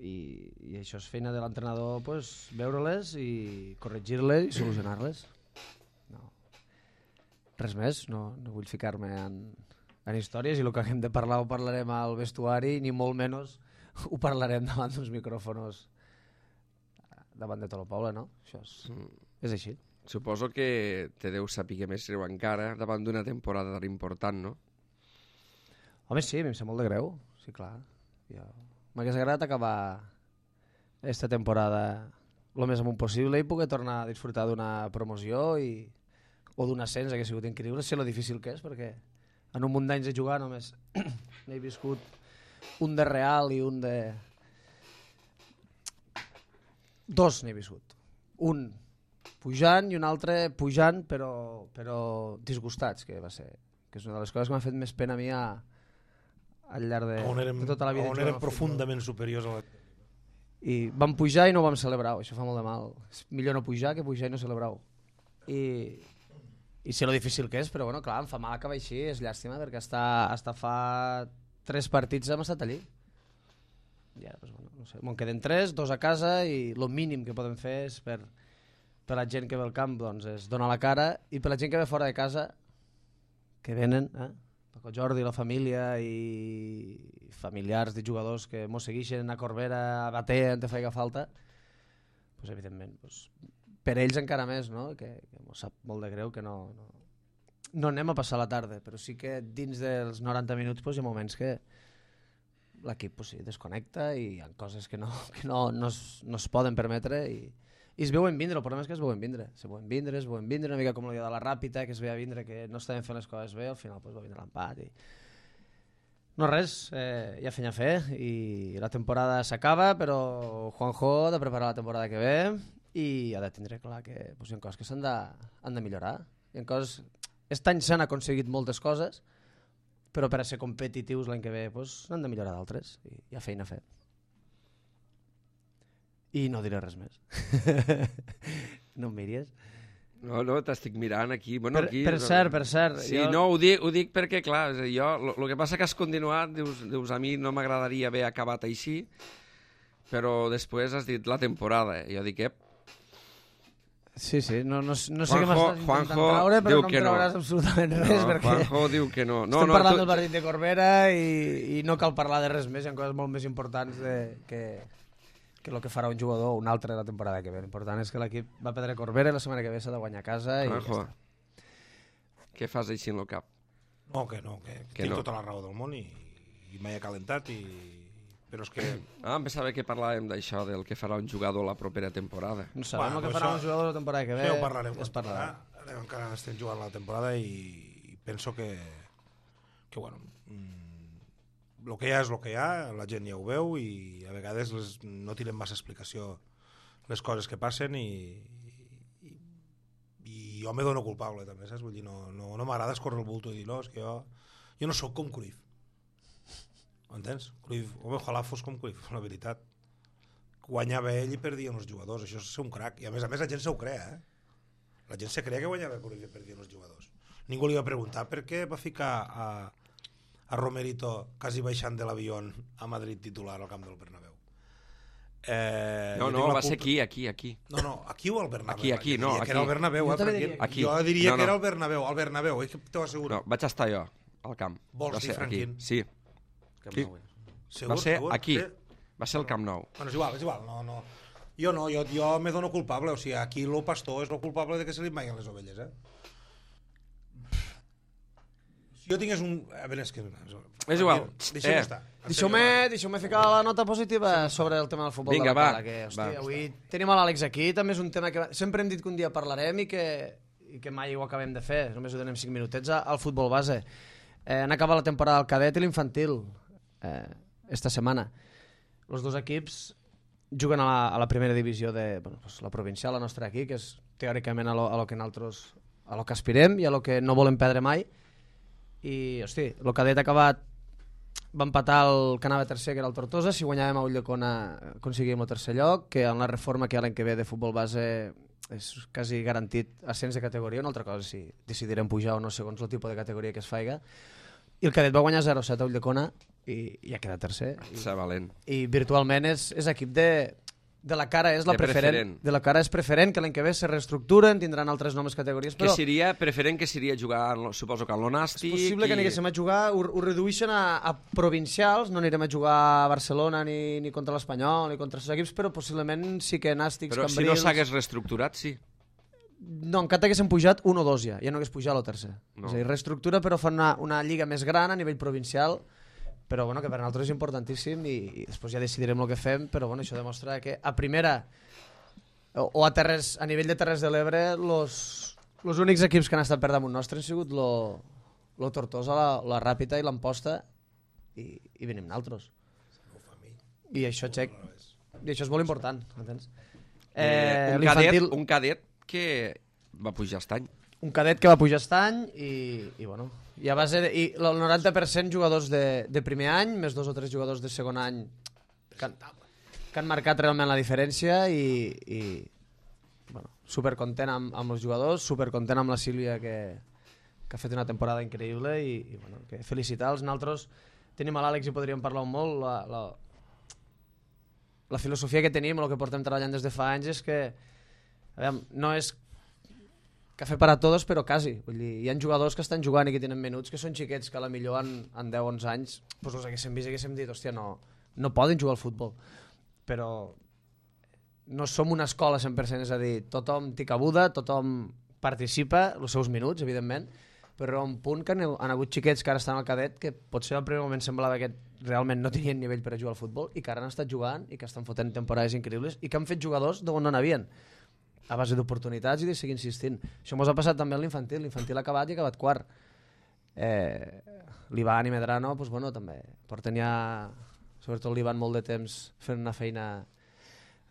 I això és feina de l'entrenador, pues, veure-les i corregir-les i solucionar-les. No. Res més, no vull ficar-me en històries, i el que haguem de parlar ho parlarem al vestuari, ni molt menys ho parlarem davant d'uns micròfonos davant de tot el poble, no? Això és així. Suposo que te deu saber més greu encara davant d'una temporada tan important, no? Home, sí, a mi em sap molt de greu, sí, clar. M'hagués agradat acabar aquesta temporada el més amunt possible i poder tornar a disfrutar d'una promoció o d'un ascens, hauria sigut increïble. Sé lo difícil que és, perquè en un munt d'anys de jugar només n'he viscut un de real i un de... Dos n'he viscut. Un pujant i un altre pujant però disgustats, que va ser, que és una de les coses que m'ha fet més pena a mi al llarg de tota la vida. On érem profundament superiors a la... I vam pujar i no ho vam celebrar, això fa molt de mal. És millor no pujar que pujar i no celebrar-ho. I sé lo difícil que és, però bueno, clar, em fa mal acabar així, és llàstima, perquè hasta fa 3 partits hem estat allí. Ja, pues, bueno, no sé, me'n queden 3, 2 a casa, i el mínim que podem fer és per la gent que ve al camp, doncs, és donar la cara, i per la gent que ve fora de casa, que venen, Paco Jordi, la família i familiars de jugadors que mos segueixen a Corbera, a Batea, on te faiga falta, pues, evidentment, pues, per ells encara més, no? Que mos sap molt de greu que no anem a passar la tarda, però sí que dins dels 90 minuts pues, hi ha moments que l'equip pues, sí, desconnecta i hi ha coses que no es poden permetre i es veuen vindre. El problema és que es veuen vindre, una mica com el dia de la Ràpita, que es veia vindre que no estaven fent les coses bé, al final pues, va vindre l'empat i... No res, hi ha feina a fer i la temporada s'acaba, però Juanjo ha de preparar la temporada que ve i ha de tindre clar que pues, hi ha coses que han de millorar. Hi ha coses... Aquest any s'han aconseguit moltes coses, però per a ser competitius l'any que ve pues, n'han de millorar d'altres i hi ha feina a fer. I no diré res més. No em miris. No, t'estic mirant aquí. Bueno, aquí per cert. Sí, jo... no, ho dic perquè, clar, jo, el que passa que has continuat, dius a mi no m'agradaria haver acabat així, però després has dit la temporada. Jo dic, Sí, no sé què m'estàs intentant traure, però no em trauràs absolutament res, perquè Juanjo diu que no. Estem parlant del partit de Corbera i no cal parlar de res més, hi ha coses molt més importants que el que farà un jugador o un altre la temporada que ve. L'important és que l'equip va perdre Corbera i la setmana que ve s'ha de guanyar a casa i Juanjo, ja està. Què fas així en el cap? No, que tinc tota la raó del món i m'he calentat però és que... em pensava que parlàvem d'això, del que farà un jugador la propera temporada. No sabem el que farà un jugador la temporada que ve. Ja ho parlarem quan parlarà. Encara estem jugant la temporada i penso que bueno, el que hi ha és el que hi ha, la gent ja ho veu i a vegades no tirem massa explicació les coses que passen i jo me dono culpable també, saps? Vull dir, no m'agrada escórrer el bulto i dir, no, és que jo no sóc com Cruyff. Entens? Cruyff, home, ojalà fos com Cruyff, la veritat. Guanyava ell i perdien els jugadors, això és ser un crac. I a més la gent s'ho crea, La gent se crea que guanyava Cruyff i perdien els jugadors. Ningú li va preguntar per què va ficar a Romerito quasi baixant de l'avió a Madrid titular al camp del Bernabéu. No, va ser aquí. No, aquí o al Bernabéu? Aquí, no, aquí. Que era el Bernabéu, aquí. Jo diria que era el Bernabéu, t'ho asseguro. No, vaig estar jo al camp. Vols dir, Franquín? Sí. Segur? Va ser aquí. Va ser el Camp Nou. Bueno, és igual, no. Jo no, jo me dono culpable, o sigui, aquí el pastor és el culpable de que se li maiguen les ovelles, Si jo tingués un... A veure, és que... És igual. Deixeu-me estar. Deixeu-me ficar la nota positiva sobre el tema del futbol Vinga, de la va, Cala, que, va. avui tenim a l'Àlex aquí, també és un tema que sempre hem dit que un dia parlarem i que mai ho acabem de fer, només ho donem 5 minutets al futbol base. Han acabat la temporada del cadet i l'infantil esta setmana. Els dos equips juguen a la primera divisió de la provincial, la nostra aquí, que és teòricament a lo que nosaltres a lo que aspirem i a lo que no volem perdre mai. I, hosti, el cadet ha acabat, va empatar el que anava tercer, que era el Tortosa. Si guanyàvem a Ulldecona aconseguíem el tercer lloc, que en la reforma que hi ha l'any que ve de futbol base és quasi garantit ascens de categoria. Una altra cosa si decidirem pujar o no segons el tipus de categoria que es faiga. I el cadet va guanyar 0-7 a Ulldecona i ha quedat tercer. Valent. I virtualment és equip de la cara, és la preferent. De la cara és preferent, que l'any que ve se reestructuren, tindran altres noves categories. Però que seria preferent, que seria jugar, suposo que a l'Onàstic... És possible que anéssim a jugar, ho redueixen a provincials, no anirem a jugar a Barcelona ni contra l'Espanyol ni contra els equips, però possiblement sí que Nàstics, Cambrils... Però si no s'hagués reestructurat, sí. No, encara haguéssim pujat 1 o 2 ja no hagués pujat el tercer. No. És a dir, reestructura, però fan una lliga més gran a nivell provincial, però bueno, que per nosaltres és importantíssim i després ja decidirem el que fem, però bueno, això demostra que a primera o a nivell de Terres de l'Ebre els únics equips que han estat per damunt nostre han sigut lo Tortosa, la Ràpita i l'Amposta i venim nosaltres. I això, Txec, i això és molt important, entens? Un cadet que va pujar aquest any. Un cadet que va pujar aquest any i bueno, i a base de, i el 90% jugadors de primer any, més 2 o 3 jugadors de segon any que han marcat realment la diferència i bueno, supercontent amb els jugadors, supercontent amb la Sílvia que ha fet una temporada increïble i bueno, que felicitar-los. Nosaltres tenim a l'Àlex i podríem parlar molt la filosofia que tenim, el que portem treballant des de fa anys és que no és cafè per a tots, però quasi. Vull dir, hi ha jugadors que estan jugant i que tenen menuts, que són xiquets, que a la millor en 10-11 anys doncs els haguéssim vist i haguéssim dit, hòstia, no poden jugar al futbol. Però no som una escola 100%, és a dir, tothom té cabuda, tothom participa, els seus minuts, evidentment, però a un punt que han hagut xiquets que ara estan al cadet que potser al primer moment semblava que realment no tenien nivell per a jugar al futbol i que ara han estat jugant i que estan fotent temporades increïbles i que han fet jugadors d'on no n'havien, a base d'oportunitats i de seguir insistint. Això ens ha passat també a l'infantil. L'infantil ha acabat i ha acabat quart. L'Ivan i Medrano, doncs, bueno, també porten ja, sobretot l'Ivan, molt de temps fent una feina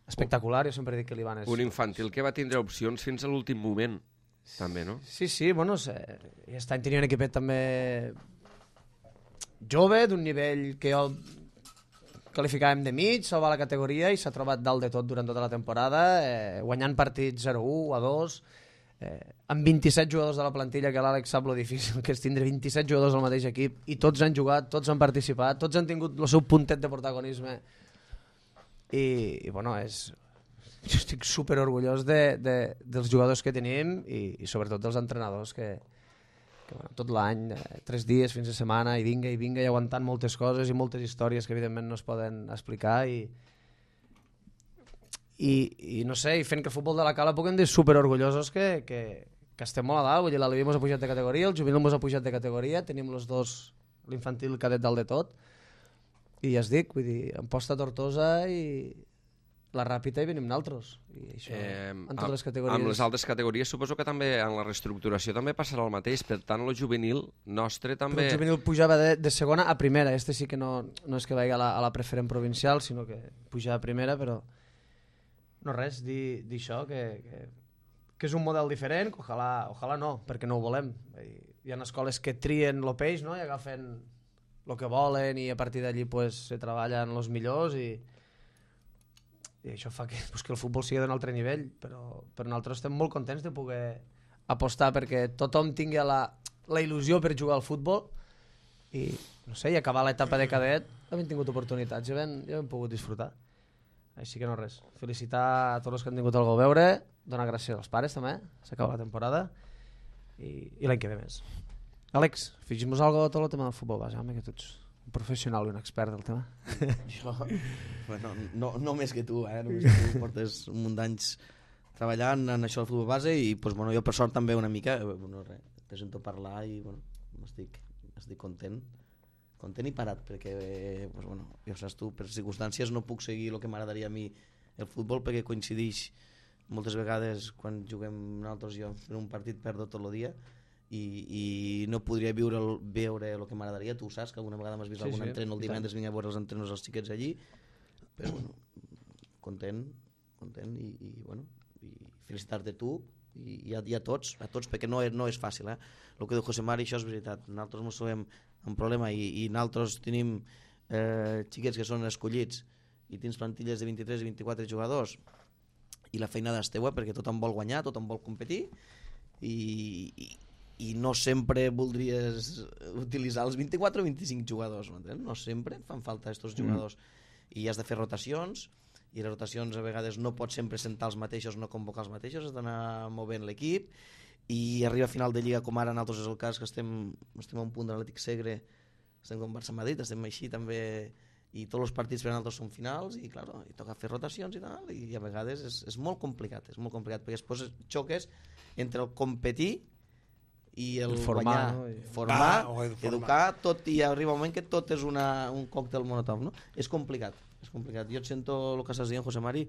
espectacular. Jo sempre dic que l'Ivan és... Un infantil que va tindre opcions fins a l'últim moment, també, no? Sí, bueno, aquest any tenia un equipet també jove, d'un nivell que jo qualificàvem de mig, salvar la categoria i s'ha trobat dalt de tot durant tota la temporada, guanyant partits 0-1, a 2, amb 27 jugadors de la plantilla, que l'Àlex sap lo difícil que és tindre 27 jugadors al mateix equip, i tots han jugat, tots han participat, tots han tingut el seu puntet de protagonisme. I bueno, jo estic super orgullós dels jugadors que tenim i sobretot dels entrenadors que bueno, tot l'any, 3 dies fins a setmana i vinga i aguantant moltes coses i moltes històries que evidentment no es poden explicar i no sé, i fent que el futbol de la Cala puguem dir super orgullosos que estem molt a dalt. Vull dir, l'Aleví mos ha pujat de categoria, el juvenil mos ha pujat de categoria, tenim els dos, l'infantil, el cadet dalt de tot i ja es dic, vull dir, Amposta, Tortosa i la Ràpita i venim naltros i això, en totes les categories. Amb les altres categories suposo que també en la reestructuració també passarà el mateix, per tant el juvenil nostre també... Però el juvenil pujava de segona a primera, sí que no és que vagi a la preferent provincial, sinó que puja a primera, però no res, dir això, que és un model diferent, que ojalà no, perquè no ho volem. Hi ha escoles que trien el peix, no?, i agafen el que volen i a partir d'allí pues, se treballen els millors i això fa que el futbol sigui d'un altre nivell, però nosaltres estem molt contents de poder apostar perquè tothom tingui la il·lusió per jugar al futbol i, no sé, i acabar l'etapa de cadet hem tingut oportunitats, ja hem pogut disfrutar. Així que no res, felicitar a tots els que han tingut algú a veure, donar gràcies als pares també, s'acaba la temporada i l'any que ve més. Àlex, afegim-nos alguna cosa a tot el tema del futbol base, home, que tots Un professional i un expert del tema. Jo, bueno, no més que tu, només que tu portes un munt d'anys treballant en això del futbol base i pues, bueno, jo per sort també una mica bueno, te sento parlar i bueno, estic content i parat perquè pues, bueno, ja saps tu, per circumstàncies no puc seguir el que m'agradaria a mi el futbol perquè coincideix moltes vegades quan juguem nosaltres jo en un partit perdo tot el dia i no podria veure el que m'agradaria, tu saps que alguna vegada m'has vist algun entreno el divendres, vinc a veure els entrenos dels xiquets allí, però bueno, content i bueno, i felicitar-te tu i a tots perquè no és fàcil, el que diu José Mari, això és veritat, nosaltres ens trobem un problema i nosaltres tenim xiquets que són escollits i tens plantilles de 23 i 24 jugadors i la feina és teua perquè tothom vol guanyar, tothom vol competir i no sempre voldries utilitzar els 24 o 25 jugadors, no sempre fan falta aquests jugadors i has de fer rotacions i les rotacions a vegades no pots sempre sentar els mateixos, no convocar els mateixos, has d'anar movent l'equip i arriba a final de Lliga com ara nosaltres és el cas que estem a un punt de l'Atlètic Segre, estem com Barça-Madrid, estem així també i tots els partits per a nosaltres són finals i clar, i toca fer rotacions i tal i a vegades és molt complicat perquè després xoques entre el competir i el formar, guanyar, formar, educar, tot, i arriba un moment que tot és un còctel monotop, no? És complicat. Jo et sento el que estàs dient, José Mari,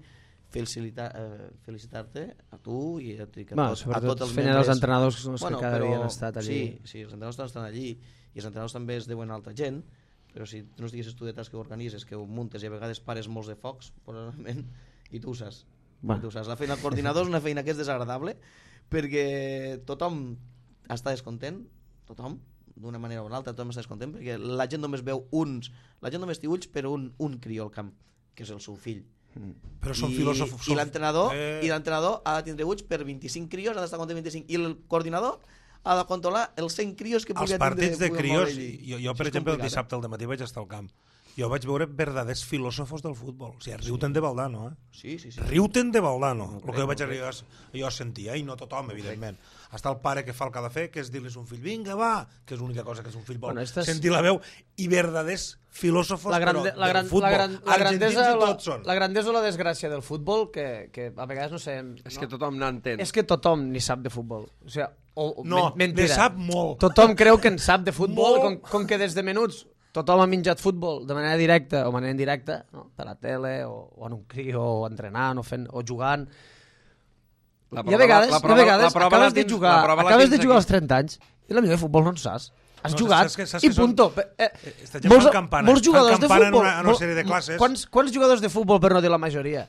felicitar-te a tu i a tots els membres. Els entrenadors que cada dia han estat allí. Sí, els entrenadors estan allí i els entrenadors també es deuen a altra gent, però si no estiguessis tu detrás que ho organitzes, que ho muntes i a vegades pares molts de focs, probablement, i tu ho saps. La feina del coordinador és una feina que és desagradable perquè tothom està descontent, tothom, d'una manera o una altra, tothom està descontent, perquè la gent només veu la gent només té ulls per un crió al camp, que és el seu fill. Però són filòsofs. I l'entrenador ha de tindre ulls per 25 crios, ha d'estar content 25, i el coordinador ha de controlar els 100 crios que podria tindre. Els partits de crios, jo per exemple el dissabte al matí vaig estar al camp, jo vaig veure verdaders filòsofos del futbol. O sigui, riuten de Valdano, Sí. Riuten de Valdano. El que jo vaig arribar, jo sentia, i no tothom, evidentment. Està el pare que fa el que ha de fer, que és dir-li a un fill, vinga, va, que és l'única cosa que és un fill vol. Sentir la veu, i verdaders filòsofos del futbol. La grandesa o la desgràcia del futbol, que a vegades no sé... És que tothom n'entén. És que tothom ni sap de futbol. O sigui, ne sap molt. Tothom creu que en sap de futbol, com que des de menuts tothom ha menjat futbol de manera directa o manera indirecta, no? Per la tele o en un crió, o entrenant o jugant. I a vegades acabes de jugar als 30 anys i la millor de futbol no en saps. Has jugat i punto. Molts jugadors de futbol, quants jugadors de futbol, per no dir la majoria,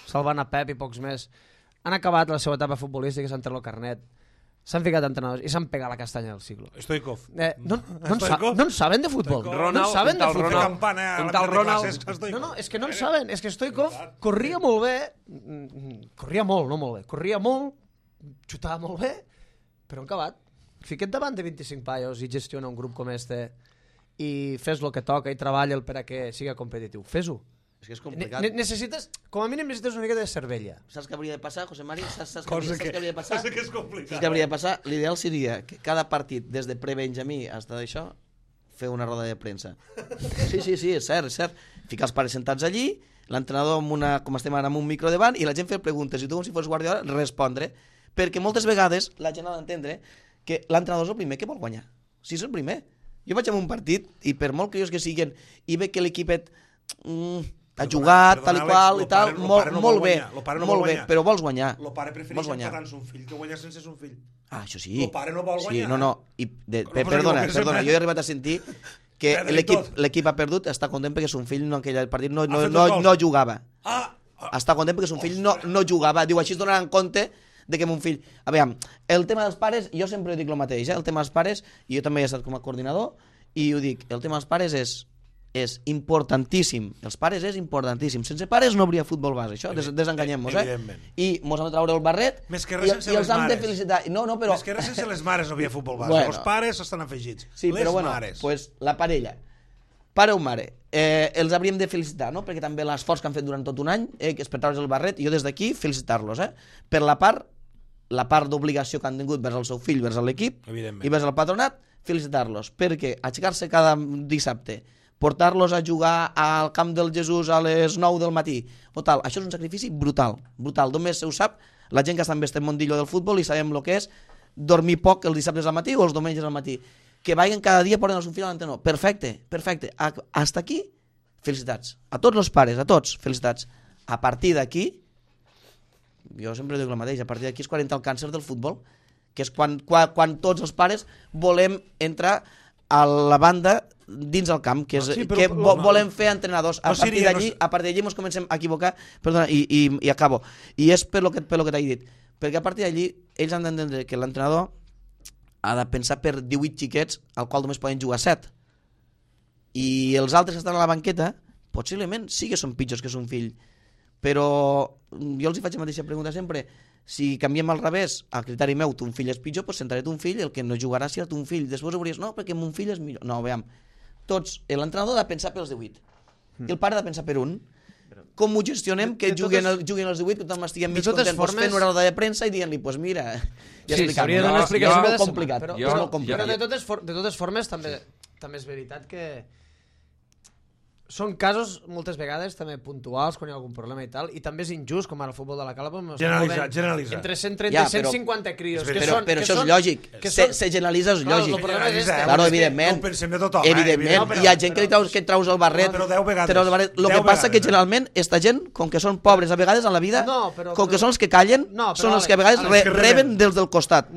salvant a Pep i pocs més, han acabat la seva etapa futbolística, s'han tret el carnet, s'han ficat entrenadors i s'han pegat la castanya del siglo. Stoikov. No en saben de futbol. No saben de futbol. No, és que no en saben. És que Stoikov corria molt bé, corria molt, xutava molt bé, però han acabat. Fica't davant de 25 paios i gestiona un grup com este i fes el que toca i treballa'l per a que siga competitiu. Fes-ho. És que és complicat. Necessites, com a mínim necessites una mica de cervella. Saps què hauria de passar, José Mari? Saps què hauria de passar? Cosa que és complicat. Saps què hauria de passar? L'ideal seria que cada partit, des de pre-Benjamí fins a això, fer una roda de premsa. Sí, és cert. Ficar els pares sentats allí, l'entrenador com estem ara amb un micro davant, i la gent fer preguntes, i tu com si fos Guardiola respondre, perquè moltes vegades la gent ha d'entendre que l'entrenador és el primer que vol guanyar. Sí, és el primer. Jo vaig a un partit, i per molt crios que siguin, i veig que l'equipet ha jugat, tal i qual, i tal, molt bé, però vols guanyar. El pare prefereix empatar son fill que guanyar sense son fill. Això sí. El pare no vol guanyar. Perdona, jo he arribat a sentir que l'equip ha perdut, està content perquè son fill en aquell partit no jugava. Està content perquè son fill no jugava. Diu, així es donaran compte de que mon fill... A veure, el tema dels pares, jo sempre dic el mateix, el tema dels pares, i jo també he estat com a coordinador, i ho dic, el tema dels pares és importantíssim. Els pares és importantíssim. Sense pares no hauria futbol base, això, desenganyem-nos, I mos hem de treure el barret i els hem de felicitar. Però... Més que res sense les mares no havia futbol base. Els pares estan afegits. Sí, però bueno, pues la parella, pare o mare, els hauríem de felicitar, no? Perquè també l'esforç que han fet durant tot un any, que és per treure's el barret, i jo des d'aquí felicitar-los, per la part d'obligació que han tingut vers el seu fill, vers l'equip i vers el patronat, felicitar-los, perquè aixecar-se cada dissabte, portar-los a jugar al camp del Jesús a les 9 del matí, o tal. Això és un sacrifici brutal, brutal. Només se ho sap la gent que està en este mundillo del futbol i sabem el que és dormir poc els dissabtes al matí o els diumenges al matí. Que vagin cada dia portant un fill a l'entrenador. Perfecte, perfecte. Hasta aquí, felicitats. A tots els pares, a tots, felicitats. A partir d'aquí, jo sempre dic el mateix, a partir d'aquí és quan entra el càncer del futbol, que és quan tots els pares volem entrar a la banda dins el camp, que és que volem fer entrenadors. A partir d'allí ens comencem a equivocar, perdona, i acabo. I és per lo que t'he dit. Perquè a partir d'allí ells han d'entendre que l'entrenador ha de pensar per 18 xiquets al qual només poden jugar 7. I els altres que estan a la banqueta possiblement sí que són pitjors que son fill. Però jo els faig la mateixa pregunta sempre. Si canviem al revés, al criteri meu, ton fill és pitjor, doncs sentaré ton fill, el que no jugarà serà ton fill. Després hauries, no, perquè mon fill és millor. No, veiem. Tots, l'entrenador ha de pensar pels 18. I el pare ha de pensar per un. Com ho gestionem que juguen els 18, que tothom estiguem mig contents, fent una roda de premsa i dient-li, doncs mira, ja s'hauria de donar explicació. És molt complicat. Però de totes formes també és veritat que són casos moltes vegades també puntuals quan hi ha algun problema i tal, i també és injust, com ara el futbol de la Cala generalitzar entre 130 i 150 crios però això és lògic, se generalitza, és lògic, claro, evidentment, hi ha gent que traus el barret, el que passa que generalment esta gent, com que són pobres a vegades en la vida, com que són els que callen, són els que a vegades reben dels del costat.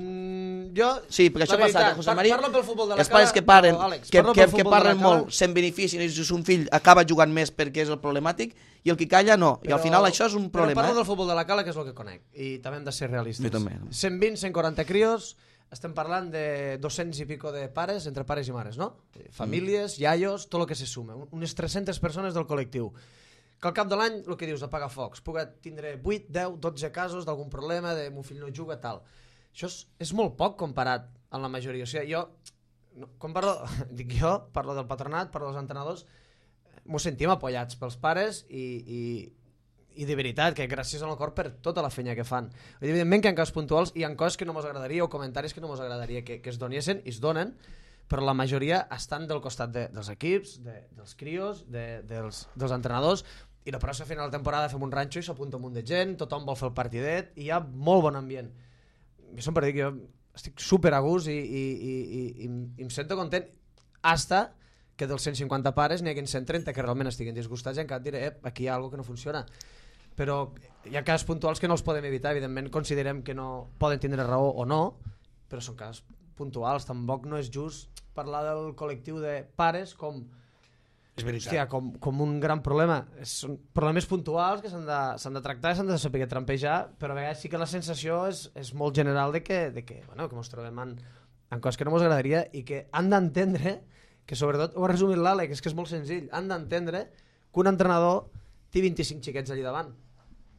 Sí, perquè això passa, José María, els pares que parlen molt se'n beneficien i un fill acaba jugant més perquè és el problemàtic i el que calla no, i al final això és un problema. Però parlo del futbol de la Cala, que és el que conec, i també hem de ser realistes. 120, 140 crios, estem parlant de 200 i pico de pares, entre pares i mares, no? Famílies, iaios, tot el que se suma, unes 300 persones del col·lectiu. Que al cap de l'any, el que dius, apagar focs, pugui tindre 8, 10, 12 casos d'algun problema, de mon fill no juga, tal. Això és molt poc comparat amb la majoria. O sigui, jo parlo del patronat, parlo dels entrenadors, m'ho sentim apoyats pels pares i de veritat, que gràcies al cor per tota la feina que fan. Evidentment que en casos puntuals hi ha coses que no mos agradaria o comentaris que no mos agradaria que es donessin i es donen, però la majoria estan del costat dels equips, dels crios, dels entrenadors, i la pròxima final de temporada fem un ranxo i s'apunta un munt de gent, tothom vol fer el partidet i hi ha molt bon ambient. Jo sempre dic que jo estic super a gust i em sento content hasta que dels 150 pares n'hi hagi 130 que realment estiguin disgustats i encara et diré, aquí hi ha alguna cosa que no funciona. Però hi ha casos puntuals que no els podem evitar, evidentment considerem que no poden tindre raó o no, però són casos puntuals, tampoc no és just parlar del col·lectiu de pares com un gran problema. Són problemes puntuals que s'han de tractar, s'han de saber trampejar, però a vegades sí que la sensació és molt general de que ens trobem en coses que no ens agradaria i que han d'entendre, que sobretot ho ha resumit l'Àlex, que és molt senzill, han d'entendre que un entrenador té 25 xiquets allà davant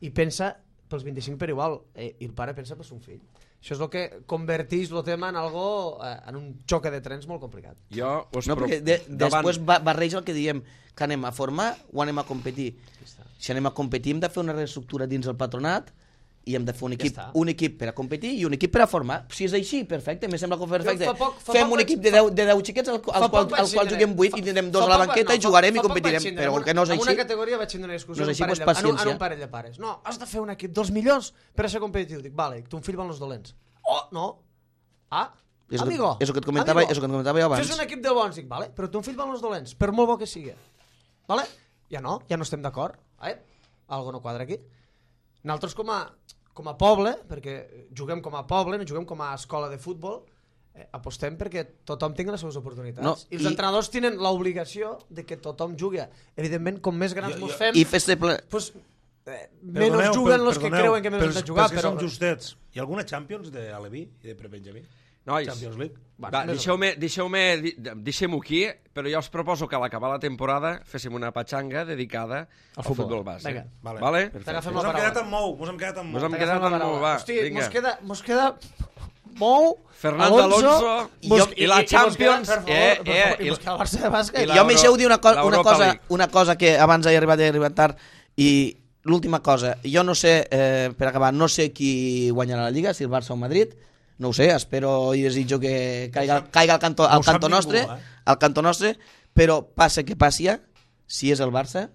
i pensa pels 25 per igual, i el pare pensa per son fill. Això és el que converteix el tema en un xoc de trens molt complicat. Després barreja el que diem, que anem a formar o anem a competir. Si anem a competir hem de fer una reestructura dins el patronat i hem de fer un equip per a competir i un equip per a formar. Si és així, perfecte, me sembla perfecte. Fem un equip de 10 xiquets al qual juguem 8 i tindrem 2 a la banqueta i jugarem i competirem. Però que no és així. En una categoria vaig tindre una discussió en un parell de pares. No, has de fer un equip dels millors per a ser competitiu. Dic, vale, ton fill van els dolents. Oh, no. Amigo. És el que et comentava jo abans. Fes un equip de bons. Dic, vale, però ton fill van els dolents, per molt bo que sigui. Vale? Ja no estem d'acord. Algo no quadra aquí. Nosaltres com a poble, perquè juguem com a poble, no juguem com a escola de futbol, apostem perquè tothom tingui les seves oportunitats. I els entrenadors tenen l'obligació de que tothom jugui. Evidentment, com més grans mos fem, menys juguen els que creuen que més han de jugar. Però som justets. Hi ha alguna Champions d'Aleví i de Prebenjamí? Nois, deixem-ho aquí, però jo us proposo que a l'acabar la temporada féssim una patxanga dedicada al futbol base. Vale? T'agafem la paraula. Mos hem quedat amb Mou. Hosti, mos queda Mou, Fernando Alonso i la Champions i mos queda el Barça de bàsquet. Jo m'hi deixeu dir una cosa que abans he arribat tard, i l'última cosa, jo no sé, per acabar, no sé qui guanyarà la Lliga, si el Barça o Madrid. No ho sé, espero i desitjo que caiga al cantó nostre, Però passa que passi, si és el Barça,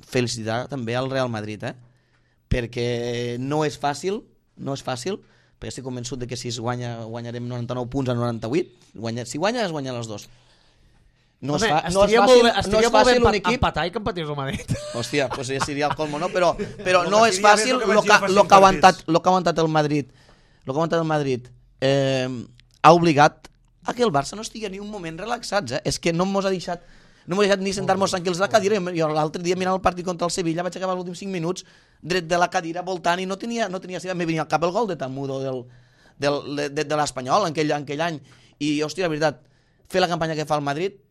felicitar també al Real Madrid, perquè no és fàcil, perquè estic convençut de que si es guanyarem 99 punts a 98, si guanya es guanyen els dos. No és fàcil un equip... empatar i que empatés el Madrid. Hòstia, pues ja seria el colmo, no? Però no és fàcil el que ha aguantat el Madrid. El que ha aguantat el Madrid ha obligat a que el Barça no estigui ni un moment relaxats. És que no mos ha deixat ni sentar-nos tranquils a la cadira. Jo l'altre dia mirant el partit contra el Sevilla vaig acabar els últims 5 minuts dret de la cadira voltant i no tenia me venia al cap el gol de Tamudo de l'Espanyol en aquell any. I, hòstia, la veritat, fer la campanya que fa el Madrid,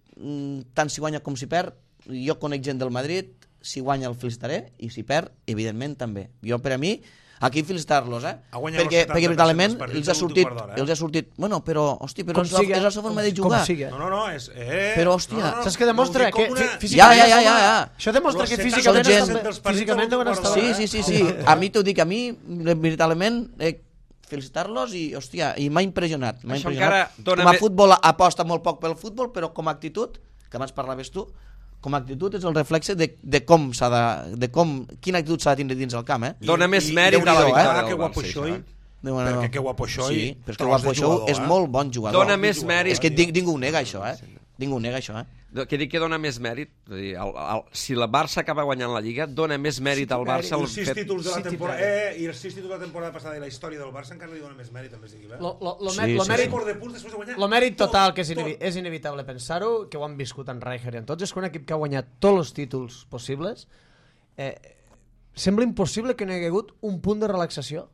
tant si guanya com si perd, jo conec gent del Madrid, si guanya el felicitaré i si perd, evidentment també. Jo, per a mi, aquí felicitar-los, perquè veritablement els ha sortit, bueno, però, hòstia, però és la seva forma de jugar. No, és... Però, hòstia... Saps que demostra que físicament... Això demostra que físicament deuen estar... Sí. A mi t'ho dic, veritablement... felicitar-los i, hòstia, i m'ha impressionat. Com a futbol aposta molt poc pel futbol, però com a actitud, que abans parlaves tu, com a actitud és el reflexe de com s'ha de... quina actitud s'ha de tindre dins el camp, Dóna més mèrit a la victòria del Barça. Perquè que Guapoxoi... Sí, però és que Guapoxoi és molt bon jugador. Dóna més mèrit... És que ningú ho nega, això, Ningú ho nega, això, Que dic que dona més mèrit, si la Barça acaba guanyant la Lliga, dona més mèrit al Barça... Els 6 títols de la temporada... I els 6 títols de la temporada passada i la història del Barça encara li dona més mèrit, també sigui, Lo mèrit total, que és inevitable pensar-ho, que ho han viscut en Rijkaard i en tots, és que un equip que ha guanyat tots els títols possibles sembla impossible que no hi hagi hagut un punt de relaxació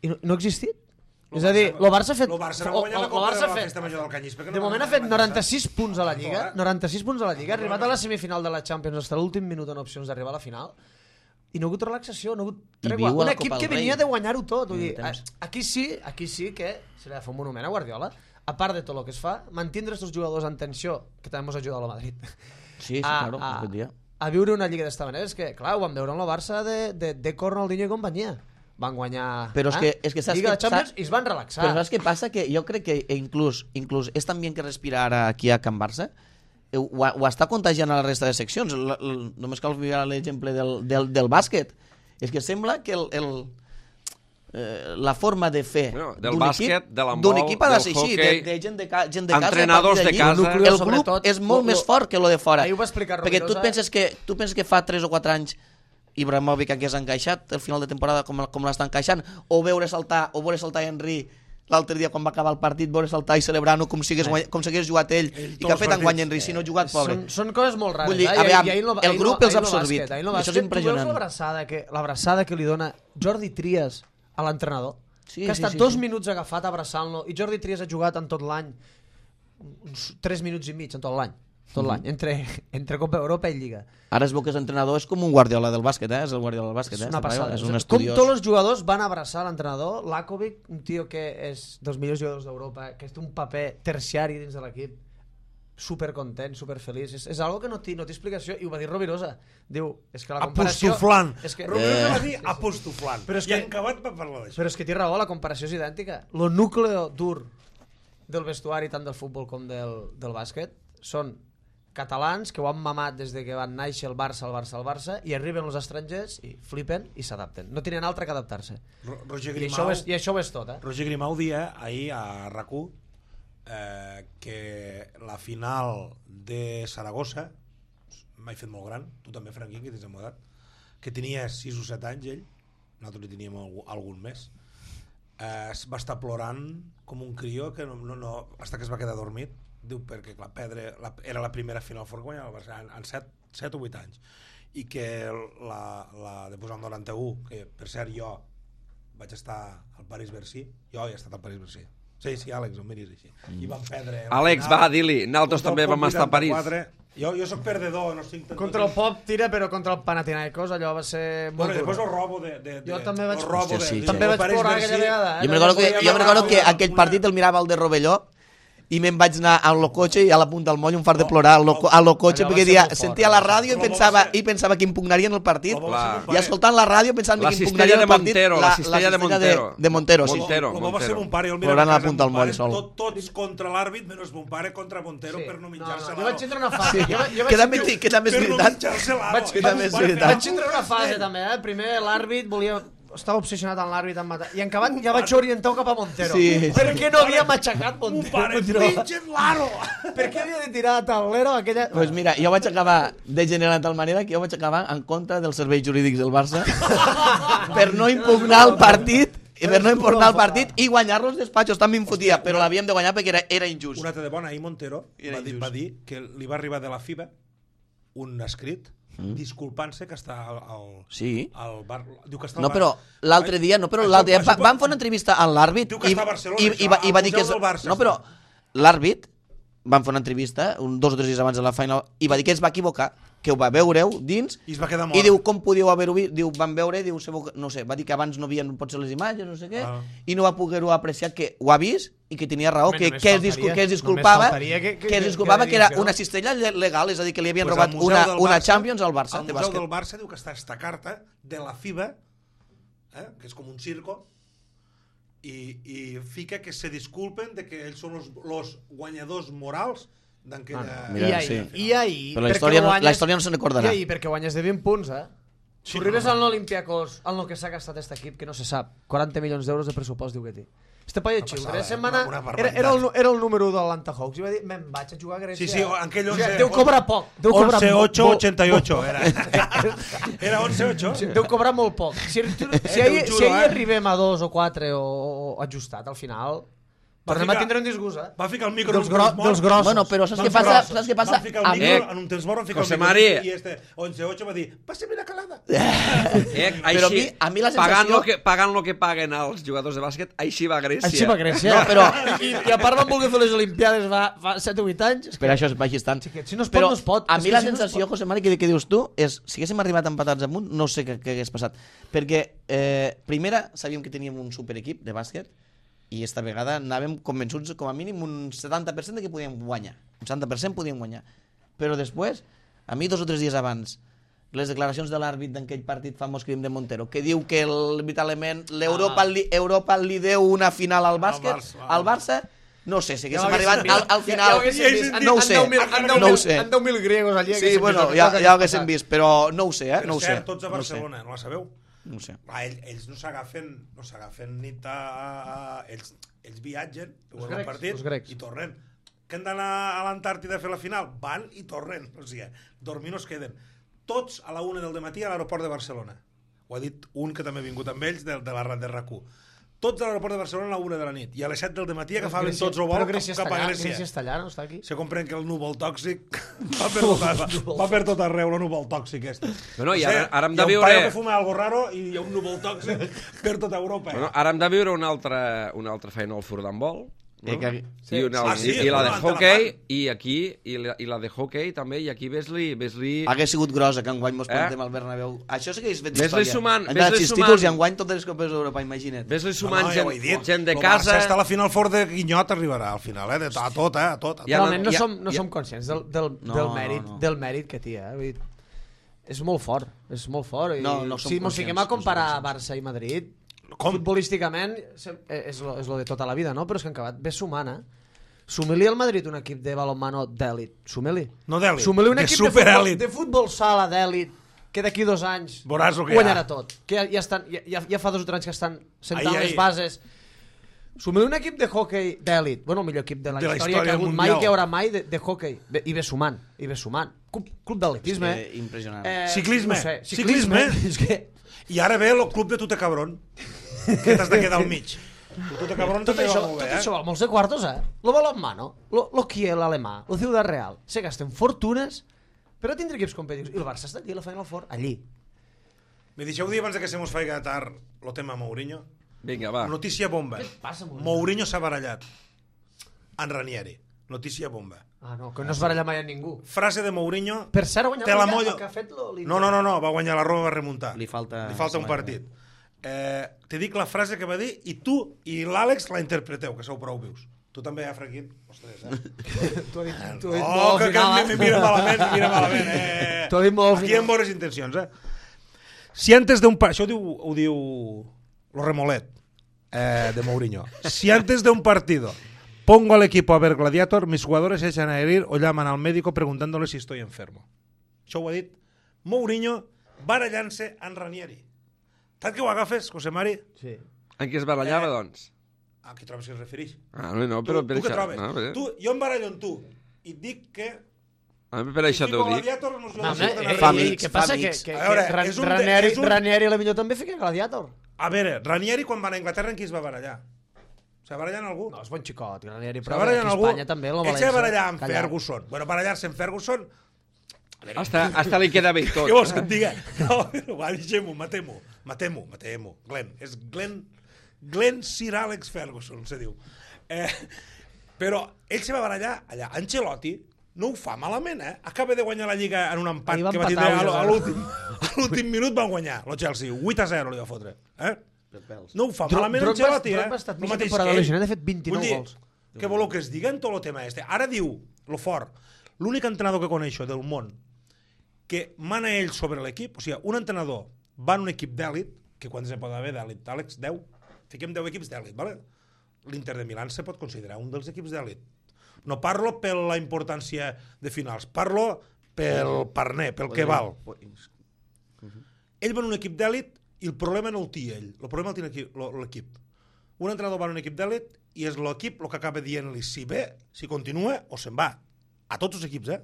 i no ha existit. És a dir, el Barça ha fet... El Barça va guanyar la Copa de la Festa Major del Canyís. De moment ha fet 96 punts a la Lliga, 96 punts a la Lliga, ha arribat a la semifinal de la Champions, fins a l'últim minut en opcions d'arribar a la final, i no ha hagut relaxació, no ha hagut tregua. Un equip que venia de guanyar-ho tot. Aquí sí que se li ha de fer un monument a Guardiola, a part de tot el que es fa, mantindre aquests jugadors en tensió, que també ens ajuda a la Madrid. Sí, claro, aquest dia. A viure una Lliga d'esta manera, és que, clar, ho vam veure en el Barça de Ronaldinho i companyia. Van guanyar Lliga de Champions i es van relaxar. Però saps què passa? Que jo crec que inclús és tan bien que respira ara aquí a Can Barça, ho està contagiant a la resta de seccions. Només cal mirar l'exemple del bàsquet. És que sembla que la forma de fer d'un equip ha de ser així, de gent de casa, entrenadors de casa. El grup és molt més fort que lo de fora. Perquè tu penses que fa 3 o 4 anys Ibrahimovic hagués encaixat el final de temporada com l'està encaixant, o veure saltar Henry l'altre dia quan va acabar el partit, veure saltar i celebrar-ho com si hagués jugat ell i que ha fet enguany Henry, si no ha jugat, pobre. Són coses molt rares. Vull dir, el grup els ha absorbit. Això és impressionant. Tu veus l'abraçada que li dona Jordi Trias a l'entrenador, que ha estat 2 minuts agafat abraçant-lo, i Jordi Trias ha jugat en tot l'any uns 3 minuts i mig en tot l'any, entre Copa Europa i Lliga. Ara es veu que és entrenador, és com un Guardiola del bàsquet, és el Guardiola del bàsquet, és una passada. És un estudiós. Com tots els jugadors van abraçar l'entrenador, Lakovic, un tio que és dels millors jugadors d'Europa, que té un paper terciari dins de l'equip, supercontent, superfeliç, és algo que no té explicació, i ho va dir Rovirosa. Diu, és que la comparació... Apostoflant. Rovirosa va dir apostoflant. I en Cabat va parlar d'això. Però és que té raó, la comparació és idèntica. Lo núcleo dur del vestuari, tant del futbol com del bàsquet, són catalans que ho han mamat des de que van néixer el Barça, i arriben els estrangers i flipen i s'adapten. No tenen altre que adaptar-se. I això ho és tot. Roger Grimau dia ahir a RAC1 que la final de Saragossa, m'ha fet molt gran, tu també, Franquín, que tens en modat, que tenia 6 o 7 anys ell, nosaltres li teníem algun més, va estar plorant com un crió que hasta que es va quedar dormit. Diu, perquè clar, era la primera final fort que guanyava el Barça en 7 o 8 anys, i que la de posar el 91, que per cert jo vaig estar al París-Bercy, jo he estat al París-Bercy, sí, Àlex, ho miris així, i vam perdre Àlex, va, dir-li, nosaltres també vam estar a París. Jo soc perdedor, no estic... Contra el Pop tira, però contra el Panathinaikos allò va ser molt dur. Després el robo de... Jo també vaig sí. plorar aquella vegada. Jo me recordo que aquell partit el mirava el de Rovelló i me'n vaig anar a lo cotxe i a la punta del moll un fart de plorar a lo cotxe perquè sentia la ràdio i pensava que impugnarien el partit i escoltant la ràdio pensant que impugnarien el partit. La cistella de Montero. De Montero, sí. Com va ser mon pare, jo el Plorant a la mirava punta del moll sol. tots contra l'àrbit, menys mon pare contra Montero per no menjar-se Jo vaig l'aro. entrar una fase. Que també és Per no veritat. menjar-se l'aro. Vaig entrar una fase també, Primer l'àrbit estava obsessionat amb l'àrbit en matar. I en acabat ja vaig orientar cap a Montero. Sí. Perquè no havia matxacat Montero. Pare, mengen l'aro! Per què havia de tirar a taulero aquella... Pues mira, jo vaig acabar degenerant de tal manera que jo vaig acabar en contra dels serveis jurídics del Barça per no impugnar el partit i guanyar-lo als despatxos. També em fotia, però l'havíem de guanyar perquè era injust. Una altra de bona, ahir Montero va dir que li va arribar de la FIBA un escrit disculpant-se que està al bar. Diu que està No, però l'altre dia van fer una entrevista a l'àrbit i va dir que no, però l'àrbit van fer una entrevista 2 o 3 dies abans de la final i va dir que es va equivocar, que ho va veure-ho dins i es va quedar mort. I diu, com podíeu haver-ho vist? Diu, van veure, diu, no sé, va dir que abans no havien potser les imatges, no sé què, i no va poder-ho apreciar que ho ha vist i que tenia raó, que es disculpava que era una cistella legal, és a dir, que li havien robat una Champions al Barça. El Museu del Barça diu que està esta carta de la FIBA, que és com un circo, i fica que se disculpen de que ells són los guanyadors morals d'aquella... I ahir... Però la història no se'n recordarà. I ahir, perquè guanyes de 20 punts, Si arribes al Olympiacos, en el que s'ha gastat aquest equip, que no se sap, 40 milions d'euros de pressupost, diu que té. Este paio xil, setmana era el número 1 de l'Atlanta Hawks i va dir, me'n vaig a jugar a Grècia. Sí, aquell 11... Deu cobrar poc. 11-8-88 era 11-8. Deu cobrar molt poc. Si ahir arribem a 2 o 4 o ajustat al final... Tornem a tindre un disgust, Va ficar el micro dels grossos. Bueno, però saps què passa? Va ficar el micro en un temps mort, va ficar el micro i este 11-8 va dir, passa-me la calada. Però a mi la sensació... Pagant el que paguen els jugadors de bàsquet, així va a Grècia. Així va a Grècia. I a part van voler fer les Olimpiades fa 7 o 8 anys. Per això baixi tant. Si no es pot, no es pot. A mi la sensació, José Mari, que dius tu, és si haguéssim arribat empatats amunt, no sé què hagués passat. Perquè, primera, sabíem que teníem un superequip de bàsquet, i esta vegada anàvem convençuts com a mínim un 70% de que podíem guanyar. Un 70% podíem guanyar. Però després, a mi 2 o 3 dies abans, les declaracions de l'àrbit d'aquell partit famós crim de Montero, que diu que l'Europa li deu una final al bàsquet, al Barça, no sé, si haguéssim arribat al final... No ho sé. En 10.000 griegos allí. Sí, bueno, ja ho haguéssim vist, però no ho sé, no ho sé. Per cert, tots a Barcelona, no la sabeu? No sé. Ells no s'agafen nit a... Ells viatgen, veuen el partit i tornen. Que han d'anar a l'Antàrtida a fer la final? Van i tornen. O sigui, dormir no es queden. Tots a la 1 del matí a l'aeroport de Barcelona. Ho ha dit un que també ha vingut amb ells de la RAC1. Tots a l'aeroport de Barcelona a la 1 de la nit. I a les 7 del matí agafaven tots el vol cap a Grècia. Grècia està allà, no està aquí? Se compren que el núvol tòxic va per tot arreu, el núvol tòxic este. Bueno, i ara hem de viure... Hi ha un paio que fuma algo raro i hi ha un núvol tòxic per tota Europa. Bueno, ara hem de viure una altra feina al futbol. No? I la de hockey i la de hockey també, i aquí ves-li... Hagués sigut grosa que enguany mos plantem al Bernabéu. Això sí que és fet història. Han anat 6 títols i enguany totes les copes d'Europa, imagina't. Ves-li sumant gent de casa... El Barça està a la final fort de Guinyot arribarà al final, a tot. Realment no som conscients del mèrit que té, És molt fort, Si mos fiquem a comparar Barça i Madrid... Futbolísticament és lo de tota la vida, no? Però és que en acabat ve sumant, Sumili al Madrid un equip de balonmano d'èlit. Sumili. No d'èlit, Sumili un de equip superèlit. de futbol sala d'èlit que d'aquí 2 anys guanyarà tot. Que ja fa 2 o 3 anys que estan sentant les bases. Sumili un equip de hockey d'èlit. Bueno, el millor equip de la història que ha hagut mai, que hi haurà mai de hockey. I ve sumant. Club d'atletisme. Impressionant. Ciclisme. I ara ve el club de Tute Cabrón, que t'has de quedar al mig. Tute Cabrón tot això val molts de quartos, Lo balonmano, lo Kiel alemà, lo Ciudad Real, se gasten fortunes per a tindre equips competitius. I el Barça està aquí a la Final Four, allí. Me deixeu dir abans que se mos faiga tard el tema Mourinho? Vinga, va. Notícia bomba. Què passa, Mourinho s'ha barallat en Ranieri. Notícia bomba. No, que no es baralla mai a ningú. Frase de Mourinho... Per cert, ha guanyat el que ha fet l'Inter. No, va guanyar la Roma, va remuntar. Li falta un partit. Te dic la frase que va dir i tu i l'Àlex la interpreteu, que sou prou vius. Tu també, Franquín? Ostres, T'ho he dit No, molt que final, me mira malament. T'ho he dit molt Aquí final. en bones intencions, Si antes de un... Això ho diu lo Remolet, de Mourinho. Si antes de un partido pongo al equipo a ver Gladiator, mis jugadores se echan a herir o llaman al médico preguntándole si estoy enfermo. Això ho ha dit Mourinho barallant-se en Ranieri. Tant que ho agafes, José Mari? Sí. En què es barallava, doncs? A què trobes que es refereix? No, però Tu per què això... trobes? No, Jo em barallo amb tu i et dic que... per això t'ho dic. Gladiator no No, surten a fa reir. amics, què passa? fa amics. Que A veure, és un- és un- Ranieri a la millor també fica Gladiator. A veure, Ranieri quan va a Anglaterra en qui es va barallar? Se va barallar en algú? No, és bon xicot, Ranieri, Se però va barallar en aquí a algú? Espanya també, el Ell València. se va barallar amb Callar. Ferguson. Bueno, barallar-se amb Ferguson... Hasta li queda bé tot. Què vols que et diga? No, va, deixem-ho, matem-ho. Glenn. És Glenn Sir Alex Ferguson, se diu. Però ell se va barallar allà. Ancelotti no ho fa malament, Acaba de guanyar la Lliga en un empat Ahir va que va empatar tindre 1-0. a l'últim minut van guanyar, el Chelsea. 8-0 li va fotre. No ho fa malament Ancelotti, Drogba ha estat El mitja mateix temporada que ell. lesionat, ha fet 29 Vull dir, gols. Què voleu que es digui en tot el tema este? Ara diu, lo fort, l'únic entrenador que coneixo del món que mana ell sobre l'equip, o sigui, un entrenador va en un equip d'èlit, que quants en pot haver d'èlit, Àlex? 10? Fiquem 10 equips d'èlit, ¿vale? L'Inter de Milán se pot considerar un dels equips d'èlit. No parlo per la importància de finals, parlo pel parner, pel que val. Ell va en un equip d'èlit i el problema no el té ell, el problema el té l'equip. Un entrenador va en un equip d'èlit i és l'equip el que acaba dient-li si ve, si continua o se'n va. A tots els equips,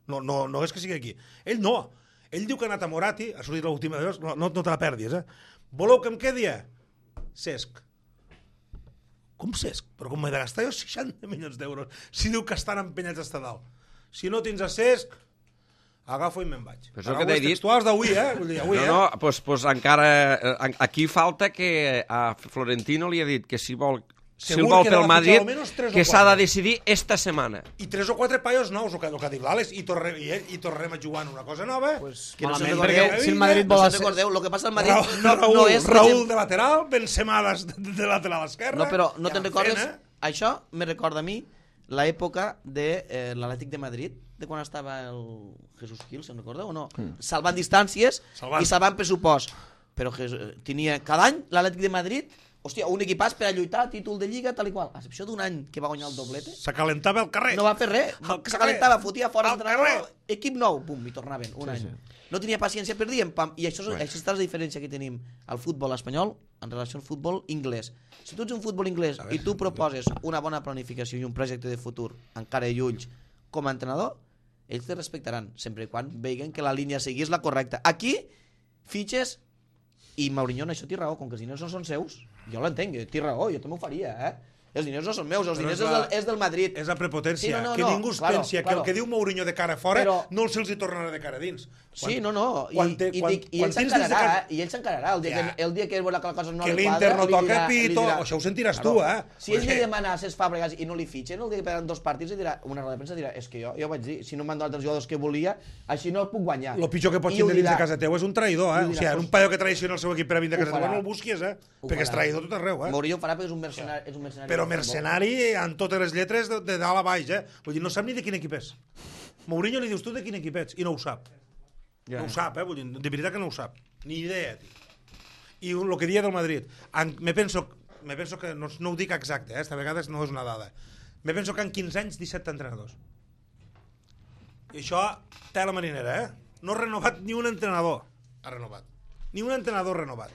No és que sigui aquí. Ell no. Ell diu que ha anat a Morati, ha sortit l'última de vegades, no te la perdis, Voleu que em quedi? Cesc. Com Cesc? Però com m'he de gastar jo 60 milions d'euros si diu que estan empenyats a estar dalt. Si no tens a Cesc, agafo i me'n vaig. Però és el que t'he dit. Textuals d'avui, Vull dir, avui, No, pues encara... Aquí falta que a Florentino li ha dit que si vol Segur vol que pel ha de Madrid, fitxar almenys 3 o que s'ha de 4. decidir esta setmana. I 3 o 4 paios nous, el que ha dit l'Àlex, i tornem a jugar en una cosa nova. Pues, Que no malament, se'n perquè recordeu, si el Madrid vol... No se'n recordeu, el que passa al Madrid Raúl, no és... Raúl de lateral, Benzema de lateral esquerre. No, però no Ja te'n en recordes? fent, Això me recorda a mi l'època de l'Atlètic de Madrid, de quan estava el Jesús Gil, se'n recordeu o no? Salvant distàncies i salvant pressupost. Però tenia cada any l'Atlètic de Madrid, hòstia, un equipàs per a lluitar títol de Lliga, tal i qual. A excepció d'un any que va guanyar el doblete, S'acalentava al carrer. no va fer res. Al S'acalentava, carrer. fotia fora Al l'entrenador, carrer. equip nou, pum, i tornaven, un any. No tenia paciència per dir, pam. I això és la diferència que tenim al futbol espanyol en relació al futbol inglès. Si tu ets un futbol inglès i tu proposes una bona planificació i un projecte de futur encara i ulls com a entrenador, ells te respectaran, sempre i quan veguen que la línia a seguir és la correcta. Aquí, fitxes, i Mourinho en això té raó, com que els diners no són seus, jo l'entenc, té raó, jo també ho faria, Els diners no són meus, els Però diners és del Madrid. És la prepotència. Sí, no, que ningú es claro, pensi que claro. el que diu Mourinho de cara fora Però- no se'ls hi tornarà de cara dins. Sí, no. I quan ell tens dins de s'encararà, casa- i ell s'encararà. El dia que veurà que la cosa no Que li l'Inter quadra, no li toca dirà- pito, li dirà- això ho sentiràs Claro. tu, Si ell li Perquè- demana a ses Fàbregas i no li fitxen, el dia que peguen 2 partits li dirà, una roda de premsa dirà, és que jo vaig dir, si no m'han donat els jugadors que volia, així no el puc guanyar. El pitjor que pots I ho tindre dins de dirà. casa teu és un traïdor, I ho O dirà, sigui, pues- un paio que traiciona el seu equip per a vindre a Ho casa teva, farà. no el busquis, Ho perquè és farà. traïdor tot arreu, Mourinho ho farà perquè és un mercenari. Però mercenari en totes les lletres de dalt a baix, Vull dir, no sap ni de quin equip és. Mourinho li dius tu de quin equip ets, i no ho sap. Ja. No ho sap, Vull dir, de veritat que no ho sap. Ni idea, tio. I el que dia del Madrid, me penso que, no ho dic exacte, esta vegada no és una dada, me penso que en 15 anys 17 entrenadors. I això té la marinera, No ha renovat ni un entrenador. Ha renovat. Ni un entrenador renovat.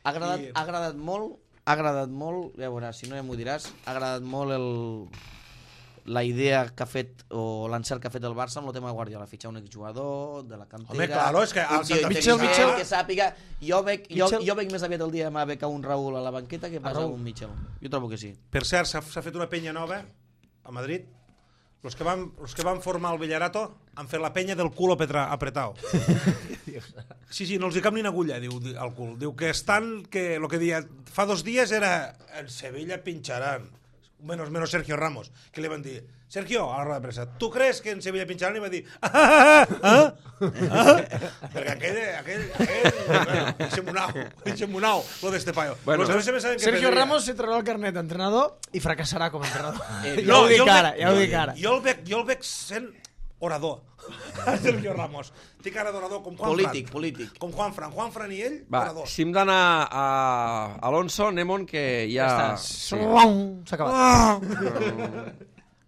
Ha agradat molt, ja veuràs, si no ja m'ho diràs, ha agradat molt la idea que ha fet, o l'encert que ha fet el Barça amb el tema de Guardiola, fitxar un exjugador de la cantera... Home, claro, és que un el tio Santa Mitchell, intel·ligent, que sàpiga... Jo veig Mitchell. més aviat el dia demà becar un Raúl a la banqueta que pas Raúl. un Mitchell. Jo trobo que sí. Per cert, s'ha fet una penya nova a Madrid. Los que van formar el Villarato han fet la penya del culo apretao. Sí, no els hi cap ni una agulla, diu al cul. Diu que estan, que el que dia fa 2 dies era en Sevilla pinxaran. menos Sergio Ramos, que li van dir, Sergio, a la roda de premsa, ¿tu crees que en Sevilla pincharan? I va dir, perquè aquell eixe monau, lo d'este paio. Bueno, Sergio Ramos se traurà el carnet d'entrenador i fracassarà com a entrenador. Ja ho dic ara. Jo el veig sent orador. Sergio Ramos. Té cara d'orador com Juan Fran. Polític. Com Juan Fran. Juan Fran i ell, Va, orador. si hem d'anar a Alonso, Nemon, que ja... S'ha acabat.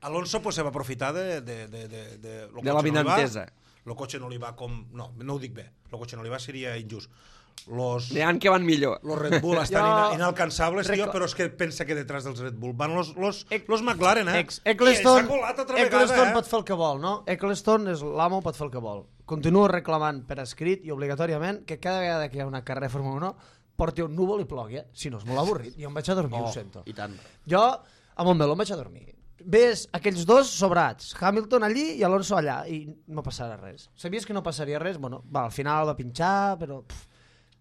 Alonso pues, se va aprofitar de la vinantesa. El cotxe no li va com... No ho dic bé. El cotxe no li va seria injust. N'hi ha que van millor. Los Red Bull estan inalcançables, tio, però és que pensa que detrás dels Red Bull van los McLaren, Eccleston vegada, pot fer el que vol, no? Eccleston és l'amo, pot fer el que vol. Continuo reclamant per escrit i obligatòriament que cada vegada que hi ha una carrera de Fórmula 1 porti un núvol i plogui, si no és molt avorrit. Jo em vaig a dormir, ho sento. I tant. Jo, a Montmeló em vaig a dormir. Ves aquells dos sobrats, Hamilton allí i Alonso allà, i no passarà res. Sabies que no passaria res? Bueno, al final va pinxar, però...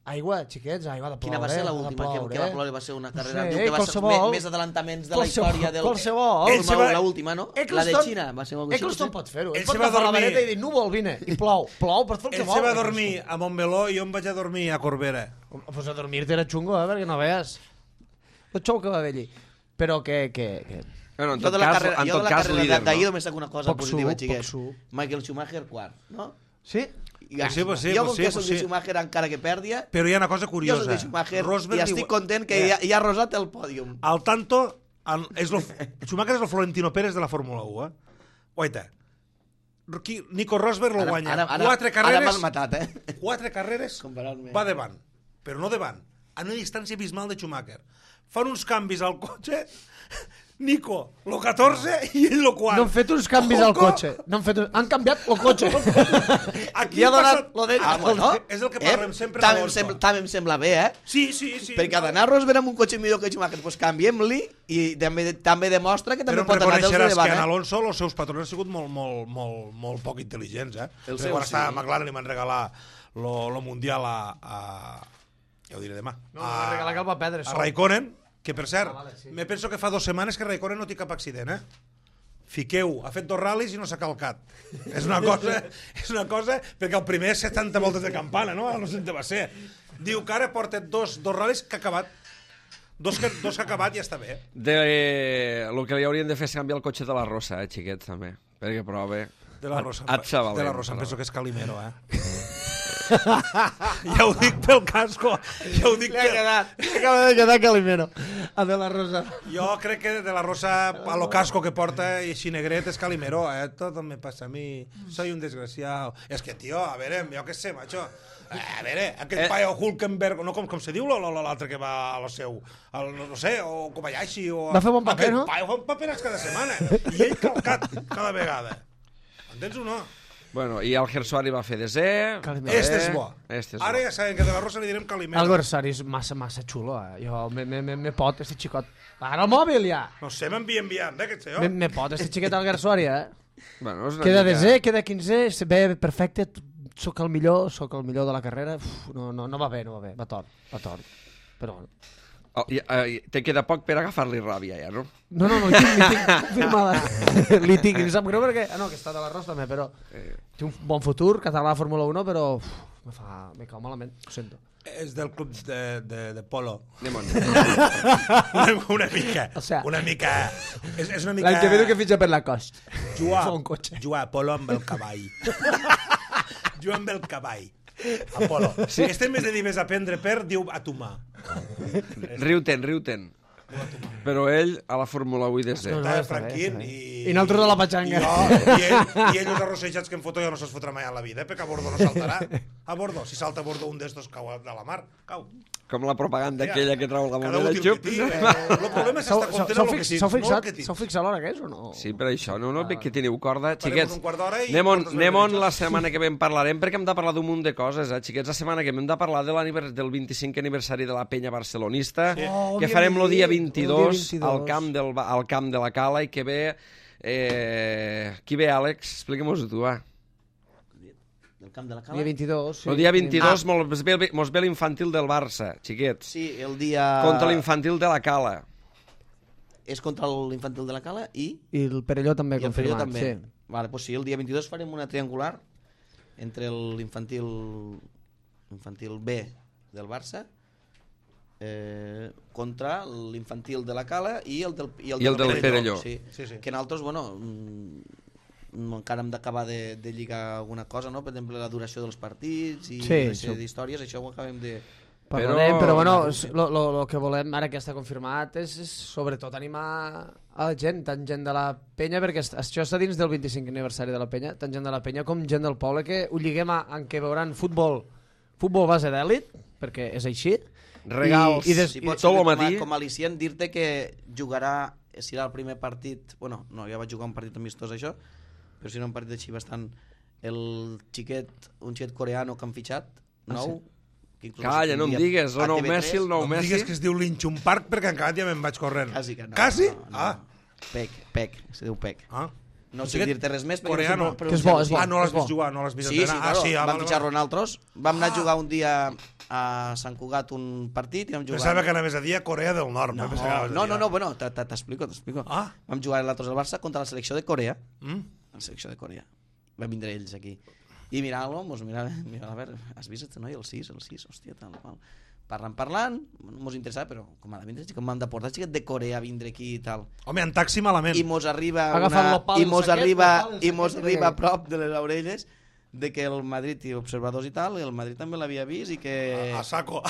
Aigua, xiquets, aigua de ploure. Quina va ser l'última que va ploure? Va ser una carrera... Sí, diu que va ser qualsevol. més adelantaments de la història del... Qualsevol. L'última, no? La de Xina va ser molt... Eccleston pot fer-ho. Ell Pot se va agafar la dormir. vareta i dir, núvol, vine, i plou. Plou, pots fer el que Ell vol. se va dormir a Montmeló i jo em vaig a dormir a Corbera. Pues a dormir-te era xungo, perquè no veas. El xou que va haver allí. Però que... Bueno, en Jo tot de la cas, líder, d'ahir no? només saco una cosa Poc positiva, suc, xiquets. poc suc. Michael Schumacher, quart, no? Sí? Jo com que soc de Schumacher encara que perdia, Però hi ha una cosa jo curiosa. soc de Schumacher Rosberg i estic content que ja ha rosat el pòdium. Al tanto, Schumacher és el Florentino Pérez de la Fórmula 1, Oita, Nico Rosberg lo guanya. Quatre Ara m'has matat, Quatre carreres Comparar-me. va davant, però no davant, a una distància abismal de Schumacher. Fan uns canvis al cotxe, Nico, lo 14 i ell lo 4. No han fet uns canvis al cotxe. Han canviat el cotxe. Aquí ha donat passa... lo d'ell. Bueno, és el que parlem sempre també em sembla bé, Sí. perquè ha d'anar Rosberg amb un cotxe millor que Schumacher, doncs canviem-li i també demostra que també pot anar dels de reconeixeràs que en davant. Alonso els seus patrons han sigut molt poc intel·ligents, El Perquè seu, quan estava sí. a McLaren li van regalar lo Mundial a... Ja ho diré demà. No, va regalar que el va perdre. A Raikkonen, que per cert, sí. me penso que fa 2 setmanes que Raikkonen no té cap accident, Fiqueu, ha fet 2 ral·lis i no s'ha calcat. És una cosa, perquè el primer 70 voltes de campana, no? No sé on va ser. Diu que ara porta 2 ral·lis que ha acabat. Dos que ha acabat i ja està bé. El que li haurien de fer és canviar el cotxe de la Rosa, xiquets, també. Perquè prova... De la Rosa. De la Rosa, em penso que és Calimero, Ja ho dic pel casco. Ja ho dic Li acaba de quedar Calimero. A De La Rosa. Jo crec que De La Rosa, a lo casco que porta i així negret, és Calimero, Tot me passa a mi. Soy un desgraciado. És que, tio, a veure, jo què sé, macho. A veure, aquest paio Hulkenberg, no, com se diu l'altre que va a lo seu, no sé, o Kobayashi, o... Va fer bon paper, no? Aquest paio fa paperats cada setmana. I ell calcat cada vegada. Entens o no? Bueno, i el Gersuari va fer desè... Este és bo. Este és Ara bo. ja sabem que De La Rosa li direm Calimero. El Gorsari és massa xulo, Jo me pot, este xicot. Ara el mòbil, ja. No sé, m'envien, aquest senyor. Me pot, este xiquet al Gorsari, Bueno, és una Queda mica- desè, queda 15è, ve perfecte, sóc el millor de la carrera. No va bé, va tort. Però bueno. Te queda poc per agafar-li ràbia, ja, no? No, li tinc confirmada. Li tinc, em sap greu perquè... no, que està de l'Arròs també, però... Té un bon futur, català a Fórmula 1, però... me cau malament, ho sento. És del club de polo. Anem-on. Una mica. O sea, una mica... És una mica... L'any que ve que fitxa per la cost. Jugar Fa un cotxe. a polo amb el cavall. Jugar amb el cavall. A polo. Sí. Este en vez de dir ves a prendre per, diu a tomar. Riu-te'n. Però ell a la Fórmula 1 desè. No, Estava està bé, Franquín està bé. i... I nosaltres a la patxanga. I ell els arrossejats que em foto ja no se'ls fotrà mai a la vida, perquè a bordo no saltarà. A bordo, si salta a bordo un d'estos cau de la mar, cau. Com la propaganda aquella que trau la Cada moneda. útil que tingui. El problema és estar content amb el que tens, no el que tens. S'heu fixat l'hora que és o no? Sí, per això. No, que teniu corda. Farem Xiquets, un quart d'hora i anem-on portes la setmana que ve en parlarem, perquè hem de parlar d'un munt de coses, Xiquets, la setmana que ve hem de parlar del 25è aniversari de la penya barcelonista, que farem el dia 22 al camp de la Cala, i que ve... qui ve, Àlex? Explica-mos-ho tu, va. Del camp de la Cala? Dia 22, sí. El dia 22 mos ve l'infantil del Barça, xiquets. Sí, el dia... Contra l'infantil de la Cala. és contra l'infantil de la Cala i el Perelló també el Perelló confirmat. també. Sí. Vale, pues sí, el dia 22 farem una triangular entre l'infantil B del Barça contra l'infantil de la Cala i el del Perelló. Sí. Sí, sí. Que nosaltres, bueno, encara hem d'acabar de lligar alguna cosa, no? Per exemple, la duració dels partits i Sí, una sèrie d'històries, això ho acabem de... Parlarem, però bueno, el que volem ara que està confirmat és sobretot animar a la gent, tant gent de la penya, perquè això està dins del 25 aniversari de la penya, tant gent de la penya com gent del poble, que ho lliguem en què veuran futbol base d'èlit, perquè és així. Regals, Si pots tot el servir matí. com a al·licient, dir-te que jugarà, si era el primer partit, bueno, no, ja vaig jugar un partit amistós això, però si era un partit així bastant, un xiquet coreano que han fitxat, nou, que inclús Calla, no em digues, el nou TV3, Messi, el nou No em Messi. digues que es diu Linchun Park perquè encara ja me'n vaig corrent. Quasi que no. Quasi? No. Ah. Pec, se diu Pec. Ah. No sé dir-te res més. Coreano. Que és bo, és bo. Ah, no l'has és bo. vist jugar, no l'has vist Sí, entrenar. claro, Ah, vam fitxar-lo nosaltres. Vam anar a Ah. jugar un dia a Sant Cugat un partit i vam jugar... Pensava que anaves a dir a Corea del Nord. No, pensava que anaves a dir no, bueno, t'explico. Ah. Vam jugar nosaltres al Barça contra la selecció de Corea. Mm? La selecció de Corea. Van vindre ells aquí. I mirant-lo, mira, a veure, has vist este noi? El 6, hòstia, tal, qual. Parlant, no mos interessava, però com ha de vindre, com m'han de portar xiquet de Corea a vindre aquí i tal. Home, en taxi malament. I mos arriba Agafant l'opal i del mos saquet, arriba l'opal del i mos saquet arriba a de- prop de les orelles de que el Madrid i observadors i tal, el Madrid també l'havia vist i que A saco.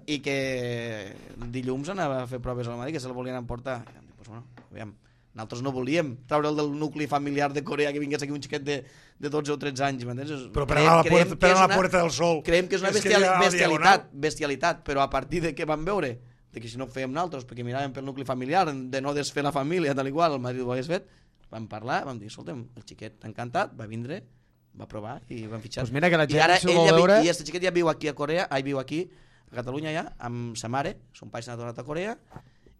i que dilluns anava a fer proves al Madrid, que se'l volien emportar. I vam dir, pues bueno, aviam, nosaltres no volíem treure'l del nucli familiar de Corea, que vingués aquí un xiquet de 12 o 13 anys, m'entens? Però per anar a la Puerta del Sol. Creiem que és una És que ja a la bestialitat, però a partir de què vam veure? De que si no ho fèiem nosaltres, perquè miràvem pel nucli familiar, de no desfer la família, tal i qual, el Madrid ho hagués fet, vam parlar, vam dir, escolta'm, el xiquet encantat, va vindre, va provar i van fitxar. Pues mira que la I gent ara s'ho vol veure. I este xiquet ja viu aquí a Corea, viu aquí a Catalunya ja, amb sa mare, son pare s'ha tornat a Corea,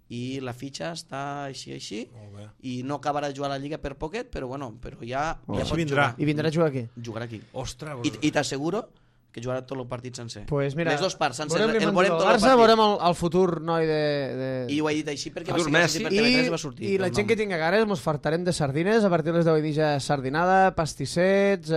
i la fitxa està així, Molt bé. i no acabarà de jugar a la Lliga per poquet, però bueno, però ja Així pot vindrà. I vindrà a jugar aquí. jugar aquí. Ostres. I t'asseguro que jugarà tot el partit sencer. Pues mira, les dues parts sencer. veurem El l'imatge veurem del tot el Barça, partit. veurem el futur noi de... I ho he dit així perquè Futur va Messi. ser per TV3 va sortir. I la el gent nom. que tinga ganes mos fartarem de sardines a partir de les 10 i mitja sardinada, pastissets,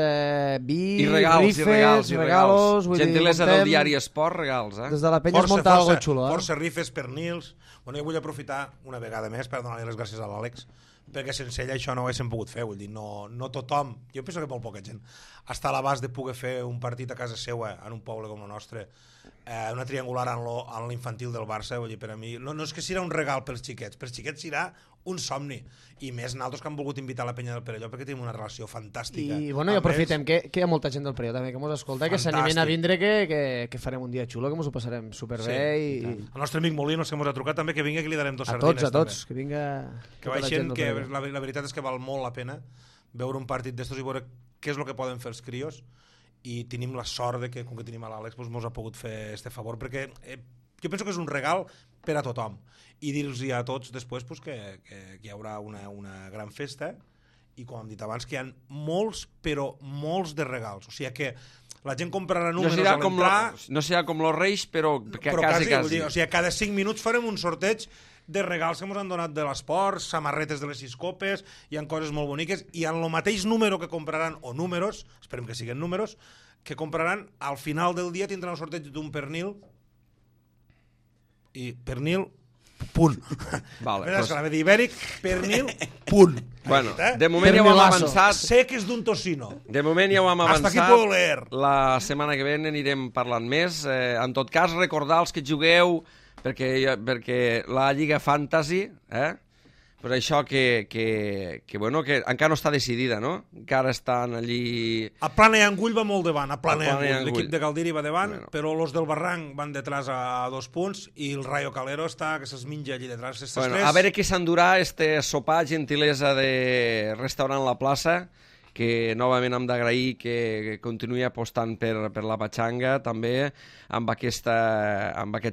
vi, I regals, rifes, regalos... vull dir, Gentilesa muntem- del diari Esport, regals, Des de la penya es munta algo xulo, Força rifes, pernils... Bueno, jo vull aprofitar una vegada més per donar-li les gràcies a l'Àlex, perquè sense ella això no ho haguéssim pogut fer, vull dir, no tothom, jo penso que molt poca gent, està a l'abast de poder fer un partit a casa seua, en un poble com el nostre, una triangular en l'infantil del Barça, vull dir, per a mi, no és que serà un regal pels xiquets serà un somni, i més nosaltres que han volgut invitar a la penya del Perelló perquè tenim una relació fantàstica. I bueno, i aprofitem que hi ha molta gent del Perelló també que mos escolta, que s'animen a vindre, que farem un dia xulo, que mos ho passarem superbé i El nostre amic Molinos que ens ha trucat també, que vingui, que li darem dos a sardines tots, que vinga que tota la baixen, gent del que Perelló. la veritat és que val molt la pena veure un partit d'estos i veure què és el que poden fer els crios, i tenim la sort de que, com que tenim a l'Àlex, doncs mos ha pogut fer este favor, perquè jo penso que és un regal per a tothom, i dir-los a tots després doncs, que hi haurà una gran festa, i com hem dit abans, que hi ha molts, però molts de regals, o sigui que la gent comprarà números a l'entrar... No serà com los Reis, però quasi. Vull quasi. dir, o sigui, cada 5 minuts farem un sorteig de regals que ens han donat de l'esport, samarretes de les 6 copes, hi ha coses molt boniques, i en el mateix número que compraran, o números, esperem que siguin números, que compraran, al final del dia tindran el sorteig d'un pernil, i pernil, punt. Vale, Mira, doncs- que l'ha de dir ibèric, pernil, punt. Bueno, Aquest, de moment ja ho hem Pernilazo. avançat. Sé que és d'un tocino. De moment ja ho hem Hasta aquí avançat. puedo leer. La setmana que ve n'anirem parlant més. En tot cas, recordar els que jugueu, perquè la Lliga Fantasy, pues això que encara no està decidida, no? Encara estan allí... A Plana i Angull va molt davant, a Plana i Plana i Angull. Angull. L'equip de Galdiri va davant, Bueno. però los del Barranc van detrás a 2 punts, i el Rayo Calero està, que se'ls menja allí detrás. Bueno, a veure què s'endurà este sopar gentilesa de restaurant La Plaça, que novament hem d'agrair que continuï apostant per la patxanga, també amb aquest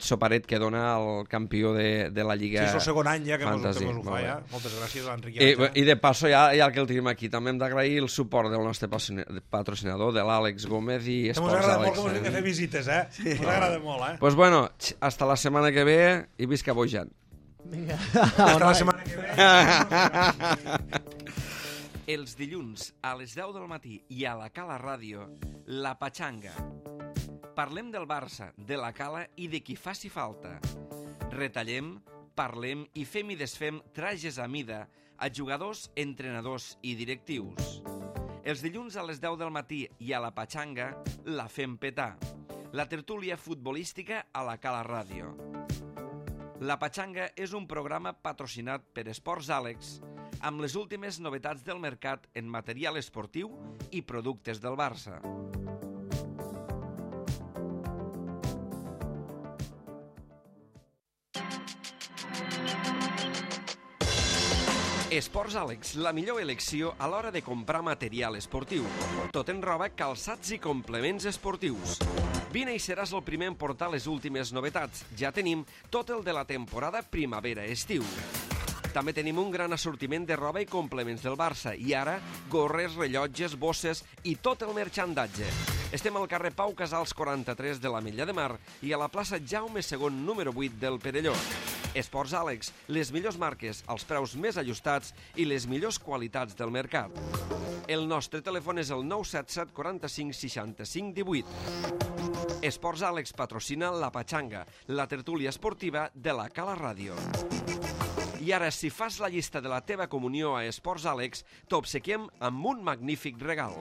soparet que dona el campió de la Lliga Sí, és el segon any ja que mos Fantasy. ho fa, Molt ja. bé. Moltes gràcies a l'Enric. I de passo, ja que el tenim aquí, també hem d'agrair el suport del nostre patrocinador, de l'Àlex Gómez i Que mos Esports agrada molt Àlex. que mos vinguin a fer visites, eh? Mos agrada molt, eh? Pues bueno, hasta la setmana que ve i visca Bojan. Vinga. Hasta la setmana que ve. Els dilluns a les 10 del matí i a la Cala Ràdio, La Patxanga. Parlem del Barça, de la Cala i de qui faci falta. Retallem, parlem i fem i desfem trajes a mida a jugadors, entrenadors i directius. Els dilluns a les 10 del matí i a la Patxanga la fem petar. La tertúlia futbolística a la Cala Ràdio. La Patxanga és un programa patrocinat per Esports Àlex amb les últimes novetats del mercat en material esportiu i productes del Barça. Esports Àlex, la millor elecció a l'hora de comprar material esportiu. Tot en roba, calçats i complements esportius. Vine i seràs el primer en portar les últimes novetats. Ja tenim tot el de la temporada primavera-estiu. També tenim un gran assortiment de roba i complements del Barça. I ara, gorres, rellotges, bosses i tot el marxandatge. Estem al carrer Pau Casals 43 de l'Ametlla de Mar i a la plaça Jaume II, número 8 del Perelló. Esports Àlex, les millors marques, els preus més ajustats i les millors qualitats del mercat. El nostre telèfon és el 977 45 65 18. Esports Àlex patrocina La Patxanga, la tertúlia esportiva de la Cala Ràdio. I ara, si fas la llista de la teva comunió a Esports Àlex, t'obsequiem amb un magnífic regal.